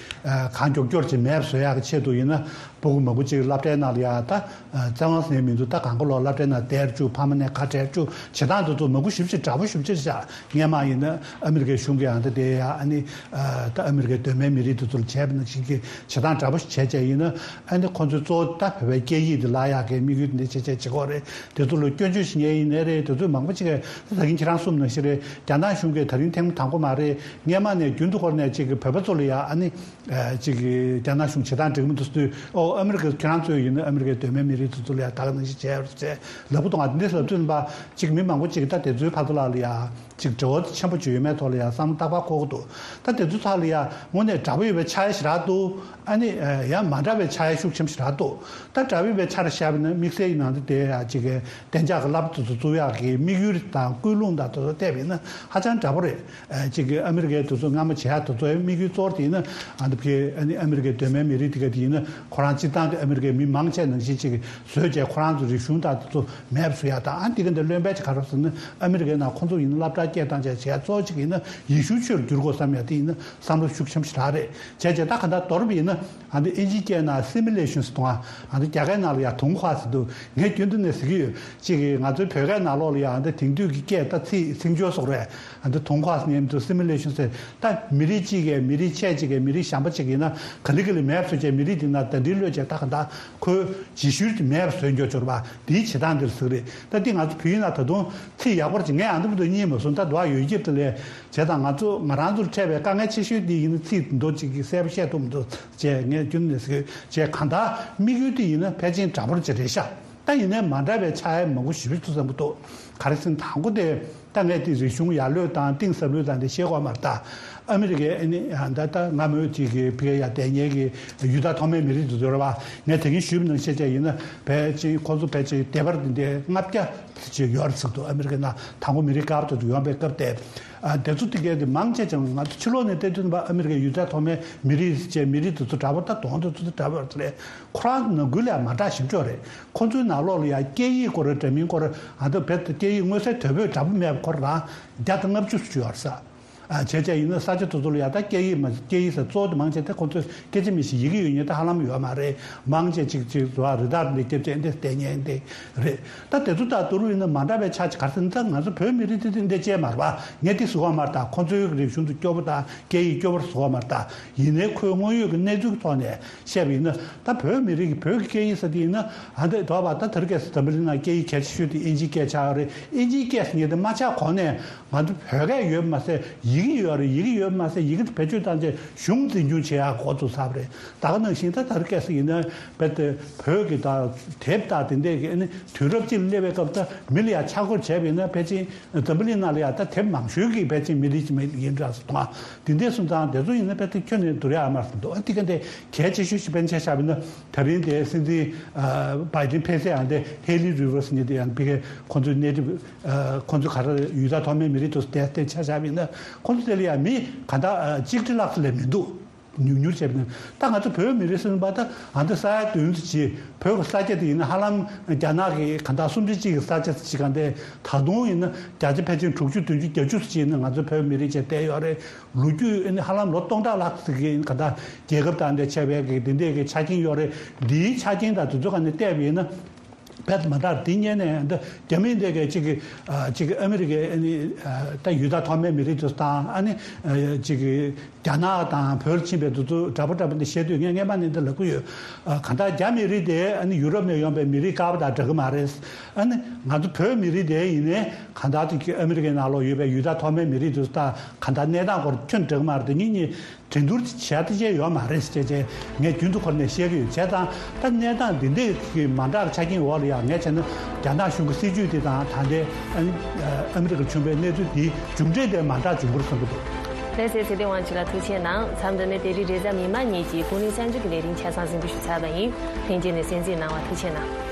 གང་མགྱོགས་མགྱོགས་ཅིག་མེད་པ་བཟོ་ཡག་གི་ཆེད་དུ་ཡིན་ན་སྤུ་གུ་མང་པོ་ཅིག་སློབ་གྲྭའི་ནང་ལ་ཡ་ད་བཙན་དབང་ཟེར་མི་འདུག་ད་གང་ག་ལོག་སློབ་གྲྭའི་ནང་བསྡད་བཅུག་ཕ་མ་ནས་ཁ་བྲལ་བཅུག་བྱེད་སྟངས་དེ་ཚོ་མང་པོ་ཞེ་པོ་ཅིག་དྲག་པོ་ཞེ་པོ་ཅིག་བཞག་སྔས་མ་ཡིན་ན་ཨ་མི་རི་ཀའི་གཞུང་གིས་ཨ་ད་དེ་ཡ་ཨ་ནི་ད་ཨ་མི་རི་ཀའི་གདོད་མའི་མི་རིགས་དེ་ཚོ་ལ་བྱས་པ་ནང་བཞིན་གྱི་བྱེད་སྟངས་དྲག་པོ་ཞིག་བྱས་བྱས་ཡིན་ན་ཨ་ནི་ཁོང་ཚོའི་གཙོ་བོ་ད་བོད་པའི་སྐད་ཡིག་དེ་བརླག་ཡག་གི་དམིགས་ཡུལ་དེ་འདྲ་བྱས་བྱས་བྱེད་ཀྱི་ཡོད་རེད། དེ་ཚོ་ལ་སྐྱོན་བརྗོད་བྱེད་མཁན་ཡིན་ནའི་རེད། དེ་ཚོ་མང་པོ་ཅིག་གིས་ད་གིན་ཁྱེད་རང་གསུངས་ནང་བཞིན་རེད། རྒྱ་ནག་གཞུང་གིས་ད་རིང་ཐེངས་མ་དང་པོ་མ་རེད། སྔས་མ་ནས་རྒྱུན་དུ་སྐོར་ནས་ཅིག་གི་བོད་པ་ཚོ་ལ་ཡ་ཨ་ནི་ཅིག་གི་རྒྱ་ནག་གཞུང་བྱེད་སྟངས་འགྲིག་མི་འདུག་ཟེར་དུས་ཨོ་ཨ་མི་རི་ཀ་ཁྱེད་རང་ཚོས་ཡིན་ན་ཨ་མི་རི་ཀའི་གདོད་མའི་མི་རིགས་དེ་ཚོ་ལ་ཡ་ད་ག་ནང་བཞིན་བྱས་རེད་ཅེས་ལབ་ཀྱི་འདུག་ང་འདི་ལབ་དུས་ཡིན་པ་ཅིག་མི་མང་པོ་ཅིག་གིས་ད་དེ་ཚོའི་བར་དུ་ལ་ལ་ཡ་ཅིག་འབྲེལ་བ་ཆེན་པོ་ཅིག་ཡོད་མེད་ཐོག་ལ་ཡ་བསམ་བློ་ཏག་ཏག་འཁོར་གྱི་འདུག་ད་དེ་ཚོ་ཚོ་ལ་ཡ་དངོས་གནས་དྲག་པོ་ཡོད་པའི་ཆ་ཡ་ཞེ་དྲག་འདུག་ཨ་ནི་ཡང་མ་འདྲ་བའི་ཆ་ཡ་ཤུགས་ཆེན་པོ་ཞེ་དྲག་འདུག་ད་དྲག་པོ་ཡོད་པའི་ཆ་ར་བཞག་པ་ཡིན་ན་དམིགས་བསལ་ཡིན་ནའང་དེ་ཡ་ཅིག་གདན་འཇགས་ཀྱི་བསླབ་དེ་ཚོ་བཙུགས་ཡག་གི་དམིགས་ཡུལ་དང་ཀུན་སློང་དང་དེ་ཚོ་བལྟས་པ་ཡིན་ན་ཧ་ཅང་འདྲ་པོ་རེད། ཅིག་གི་ཨ་མི་རི་ཀའི་དེ་ཚོ་སྔ་མ་བྱེད་ཡག་དེ་ཚོའི་དམིགས་ཡུལ་གཙོ་བོ་དེ་ཡིན་ན་ཨ་ནི་ཕ་གི་ཨ་ནི་ཨ་མི་རི་ཀའི་གདོད་མའི་མི་རིགས་དེ་ག་དེ་ཡིན་ན་ཁོ་རང་སྤྱིར་བཏང་གི་ཨ་མི་རི་ཀའི་མི་མང་ཆེ་ནང་བཞིན་ཅིག་བཟོས་བྱས་ཁོ་རང་ཚོ་རིག་གཞུང་དང་དེ་ཚོ་མེད་པ་བཟོ་ཡག་དང་། ཨ་འདི་ག་འདི་བློན་པོའི་ཅིག་ག་རེ་ཟེར་ན་ཨ་མི་རི་ཀའི་ནང་ཁོང་ཚོ་ཡིན་ན་སློབ་གྲྭ་སྐད་བཏང་བྱས་བྱེད་ཡག་གཙོ་བོ་ཅིག་ཡིན་ན་ཡེ་ཤུ་ཆོས་ལ་བསྒྱུར་དགོས་བསམ་ཡག་དེ་ཡིན་ན་བསམ་བློ་ཤུགས་ཆེན་པོ་ཞེ་དྲག་རེད། བྱས་བྱས་ད་ག་འདྲ་མདོར་བསྡུས་ཡིན་ན་ཨ་འདི་ཨིན་ཇིའི་སྐད་ནང་སི་མི་ལེ་ཤན་ཟེར་དང་ཨ་འདི་རྒྱ་སྐད་ནང་ལ་ཡ་同化ཟེར་འདུག་ངས་རྒྱུན་དུ་ནས་ཟེར་གྱི་ཡོད། ཅིག་གིས་ང་ཚོའི་བོད་སྐད་ནང་ལོགས་ལ་ཡ་ཨ་འདི་དེང་དུས་ཀྱི་སྐད་ད་ཚིག་ཚིག་སྦྱོར་སོགས་རེད། ཨ་འདི་同化ཟེར་ནས་མི་འདུག་སི་མི་ལེ་ཤན་ཟེར་ད་མི་རིགས་གཅིག་གིས་མི་རིགས་ཆད་གཅིག་གིས་མི་རིགས་གཞན་པ་གཅིག་ཡིན་ན་ག་ལེ་ག་ལེ་མེད་པ་བཟོས་བྱས་མི་རིགས་དེ་ན་ད་འདི་ལོས་བྱས་ད་ག་འདྲ་ཁོའི་རྗེས་ཤུལ་དེ་མེད་པ་བཟོས་འགྱོ་ཆོག་པ་འདིའི་བྱེད་སྟངས་འདིར་ཟེར་གི་རེད། ད་འདི་ང་ཚོ་བོད་ཡིག་ནང་ད་དུང་ཚིག་ཡག་པོ་ཅིག་ངས་ཨ་འདི་མི་འདུག་གཉིས་མ་སོང་ད་འདུག་ཡོད་ཀྱི་དེ་ལས་བྱས་ད་ང་ཚོ་ང་རང་ཚོར་འཕྲད་པའི་དཀའ་ངལ་ཆེ་ཤོས་འདི་ཡིན་ན་ཚིག་མདོ་ཅིག་གི་གསལ་པོ་བཤད་ཐུབ་མི་འདུག་ཅེས་ངས་རྒྱུན་ནས་ཟེར་གྱི་ཡོད། ཅེས་གང་ལྟར་དམིགས་ཡུལ་དེ་ཡིན་ན་ཕལ་ཆེར་འདྲ་པོ་ཅིག་རེད་ཤག་ད་ཡིན་ནའི་མ་འདྲ་བའི་ཆ་ཡ་མང་པོ་ཞེ་པོ་ཅིག་འདུག་བསམ་གྱི་འདུག་ག་རེ་ཟེར་ན་དང་པོ་དེ་ད་ངས་དེ་རིག་གཞུང་ཡར་ལོས་དང་གཏིང་ཟབ་ལོས་དང་དེ་ཤེས་དགོས་མ་རེད་ད། ཨ་མི་རི་ཀའི་ཨ་ནི་ད་ལྟ་སྔ་མོའི་ཅིག་གི་ཕ་གིར་ཡར་བསྡད་མཁན་གྱི་ཡུལ་དང་ཐོག་མའི་མི་རིགས་དེ་ཚོ་རེད་པ། ངས་དེ་གིན་ཞུས་པ་ནང་བཞིན་བྱས་ཡིན་ན་ཕལ་ཆེར་ཁོང་ཚོ་ཕལ་ཆེར་སྡེ་བར་དེ་འདྲའི་ལྔ་བརྒྱ་ཅིག་ཡོད་རེད་ཟེར་འདུག་ཨ་མི་རི་ཀའི་ནང་དང་པོ་མི་རིགས་དཀར་པོ་དེ་ཚོ་ཡོང་པའི་སྐབས་དེ། ཨ་དེ་ཚོ་དེ་གའི་དེ་མང་ཆེ་ཅང་ང་ཚོ་ཕྱི་ལོགས་ནས་བལྟས་དུས་ནི་ཨ་མི་རི་ཀའི་ཡུལ་དང་ཐོག་མའི་མི་རིགས་ཅེས་མི་རིགས་དེ་ཚོ་འདྲ་པོ་ད་གདོང་དེ་ཚོ་དེ་འདྲ་པོ་རེད། ཁོ་རང་ནང་ཁུལ་ལ་ཡང་མ་འདྲ་ཞིབ་ཕྲ་རེད། ཁོ་ཚོའི་ནང་ལོགས་ལ་ཡང་སྐད་ཡིག་སྐོར་འདྲ་མིན་སྐོར་ཨ་ད་བོད་དུ་སྐད་ཡིག་མངོན་གསལ་དོད་པོས་འདྲ་པོ་མེད་པ་ཁོ་རང་བརྒྱ་དང་ལྔ་བཅུ་ཙམ་ཡོད་ས། ཨ་བྱས་བྱས་ཡིན་ན་ས་ཆ་དེ་ཚོ་ལ་ཡང་ད་སྐད་ཡིག་མ་སྐད་ཡིག་ས་གཙོ་བོ་དེ་མང་ཆེ་དེ་ཁོ་ཚོས་སྐད་ཆ་མི་ཤེས་ཡི་གེ་ཡོད་མཁན་དེ་ཧ་ལམ་ཡོད་མ་རེད། མང་ཆེ་གཅིག་གཅིག་བཟོ་བ་རི་དྭགས་འདི་སྐྱེ་བྱས་འདི་བསྡད་མཁན་དེ་རེད། ད་དེ་ཚོ་དང་བསྡུར་བ་ཡིན་ན་མ་འདྲ་བའི་ཆ་ཅིག་ག་རེ་ཟེར་ན་ད་ང་ཚོ་བོད་མི་རིགས་དེ་དེ་འདྲ་ཅིག་མ་རེད་པ། ངས་དེ་ཟེར་གྱི་ཡོད་མ་རེད་ད། ཁོ་ཚོའི་རིག་གཞུང་དེ་སྐྱོ་པོ་དང་སྐད་ཡིག་སྐྱོ་པོ་རེད་ཟེར་གྱི་ཡོད་མ་རེད་ད། ཡིན་ནའི་ཁོའི་དངོས་ཡོད་ཀྱི་གནས་ཚུལ་གྱི་ཐོག་ནས་བཤད་པ་ཡིན་ན། ད་བོད་མི་རིགས་ཀྱི་བོད་ཀྱི་སྐད་ཡིག་ཟེར་དེ་ཡིན་ན་ཨ་འདི་དོགས་པ་ད་དེ་རིང་ཁ་སང་འཛམ་བུ་གླིང་ནང་སྐད་ཡིག་གལ་ཆེ་ཤོས་དེ་ཨིན་ཇིའི་སྐད་ཆགས་ཡོད་རེད། ཨིན་ཇིའི་སྐད་ཟེར་མཁན་དེ་མ་ཆགས་གོང་ནས་ང་ཚོ་བོད་སྐད་ཡོད་མ་ཟད་ཡི་གེ་ཡོད་རེད། ཡི་གེ་ཡོད་མ་ཟད་ཡི་གེ་དེ་བེད་སྤྱོད་བཏང་བྱས་གཞུང་འཛིན་སྐྱོང་བྱེད་ཡག་འགོ་བཙུགས་ཚར་བ་རེད། ད་ག་ནང་བཞིན་ད་དེ་རིང་ཁ་སང་ཡིན་ན་དཔེ་དེ་བོད་ཀྱི་ད་དེབ་དང་དེ་འདྲས་ཀྱི་ཨ་ནི་དུས་རབས་གཅིག་ལ་སླེབས་པའི་སྐབས་ད་མི་ལ་ཡང་ཆ་བགོས་བྱས་པ་ཡིན་ན་ཕལ་ཆེར་འཛམ་བུ་གླིང་ནང་ལ་ཡང་ད་དེབ་མང་ཤོས་ཀྱི་ཕལ་ཆེར་མི་རིགས་ཅིག་མི་ཡིན་འདྲ་སོང་། དེ་འདྲས་སོང་ཙང་དེ་ཚོ་ཡིན་ན་དཔེ་དེ་ཁྱོན་ནས་བསྡུར་ཡག་མ་སོང་འདུག་ཨ་དེ་ག་འདྲས་གལ་ཆེ་ཤོས་ཤིག་དཔེར་ན་ཆ་བཞག་པ་ཡིན་ན་ད་རིང་དེ་སྲིད་འཛིན་ཨ་བྷའི་ཌེན་ཕེབས་ཚད་ཨ་འདི་ཧེ་ལི་རི་ཝར་ཟེར་མཁན་དེ་ཡང་ཕ་གིའི་ཁོང་ཚོའི་ནེ་ཊིབ་ཨ་ཁོང་ཚོ་ག་རེ་ཡུལ་དང་ཐོག་མའི་མི་རིགས་དེ་ཚོ་དེ་དེ་ཆ་བཞག་པ་ཡིན་ན་ཁོང་ཚོ་དེ་ལ་ཡང་མི་ག་འདྲ་ཨ་གཅིག་ཁྲི་ལྷག་ཙམ་ལས་མི་འདུག་ཉུང་ཉུང་བྱས་པ་ཡིན་ན། ད་ང་ཚོ་བོད་མི་རིགས་ཟེར་བ་ད་ཨ་འདི་ས་ཡ་བདུན་ཙམ་ཅིག་བོད་ཀྱི་ས་ཆ་དེ་ཡིན་ན་ཧ་ལམ་རྒྱ་ནག་གི་ག་འདྲ་སུམ་ཅུ་གཅིག་གི་ས་ཆ་ཅིག་ག་འདྲས་ད་དུང་ཡིན་ན་བརྒྱ་ཆ་ཕལ་ཆེར་དྲུག་ཅུ་བདུན་ཅུ་བརྒྱད་ཅུ་ཙམ་ཅིག་ཡིན་ན་ང་ཚོ་བོད་མི་རིགས་ཅིག་བསྡད་ཡོད་རེད། ལོ་རྒྱུས་ཨ་ནི་ཧ་ལམ་ལོ་སྟོང་ཕྲག་ལྷག་ཙམ་གྱི་ག་འདྲ་རྒྱལ་ཁབ་དང་འདྲ་ཆགས་པའི་གི་དེ་འདྲས་ཀྱི་ཆ་རྐྱེན་ཡོད་རེད། འདིའི་ཆ་རྐྱེན་དང་དེ་ཚོ་ག་ནས་བལྟས་པ་ཡིན་ན། རྦད་མ་འདྲ། དེ་སྔོན་ནས་འདི་རྒྱ་མི་འདི་གས་གཅིག་གིས་ཨ་གཅིག་གིས་ཨ་མི་རི་ཀའི་ཨ་ནི་ཨ་ད་ཡུལ་དྭགས་ཐོག་མའི་མི་རིགས་དེ་ཚོ་དང་། ཨ་ནི་ཨ་གཅིག་གིས་རྒྱ་ནག་དང་བོད་ལ་ཕྱིན་པའི་དེ་ཚོ་འདྲ་པོ་འདྲ་པོ་འདི་བཤད་དུས། ངས་སྔན་མ་ནས་འདི་ལབ་ཀྱི་ཡོད། ཨ་གང་ལྟར་རྒྱ་མི་རིགས་དེ་ཨ་ནི་ཡུ་རོབ་ནས་ཡོང་པའི་མི་རིགས་དཀར་པོ་དང་འདྲ་གི་མ་རེད། ཨ་ནི་ང་ཚོ་བོད་མི་རིགས་དེ་ཡིན་ནའི་གང་ལྟར་དེ་ཨ་མི་རི་ཀའི་ནང་ལོགས་ཡོད་པའི་ཡུལ་དྭགས་ཐོག་མའི་མི་རིགས་དེ་ཚོ་དང་གང་ལྟར་གནས་སྟངས་སྐོར་ཁྱོན་འདྲ་གི་མ་རེད། དེ་གཉིས་གཉིས་འགྲན་བསྡུར་བྱས་ཏེ་བྱས་ཡོད་མ་རེད་ཅེས་བྱས་ངས་རྒྱུན་དུ་འཁོར་ནས་བཤད་ཀྱི་ཡོད། བྱས་ཙང་ད་གནས་སྟངས་འདི་འདྲའི་གི་མ་འདྲ་བའི་ཆ་རྐྱེན་འོག་ལ་ཡང་ངས་བྱས་ན་རྒྱ་ནག་གཞུང་གི་སྲིད་ཇུས་དེ་དང་ད་ལྟའི་ཨ་ནི་ཨ་མི་རི་ཀར་བྱུང་བའི་གནས་ཚུལ་འདིའི་མཇུག་འབྲས་དེ་མ་འདྲ་བྱུང་བར་བསམ་གྱི་འདུག། ལགས་སོ། ཚེ་བརྟན་དབང་ཕྱུག་ལགས་ཐུགས་རྗེ་གནང་། མཚམས་འདི་ནས་དེ་རིང་རེས་གཟའ་མིག་དམར་ཉིན་གྱི་ཀུན་གླེང་གསར་འགྱུར་གྱི་ལས་རིམ་ཆ་ཚང་གཟིགས་འབུལ་ཞུ་ཚར་བ་ཡིན། ལྷན་རྒྱས་ནས་གསན་གཟིགས་གནང་བ་ཐུགས་རྗེ་གནང་།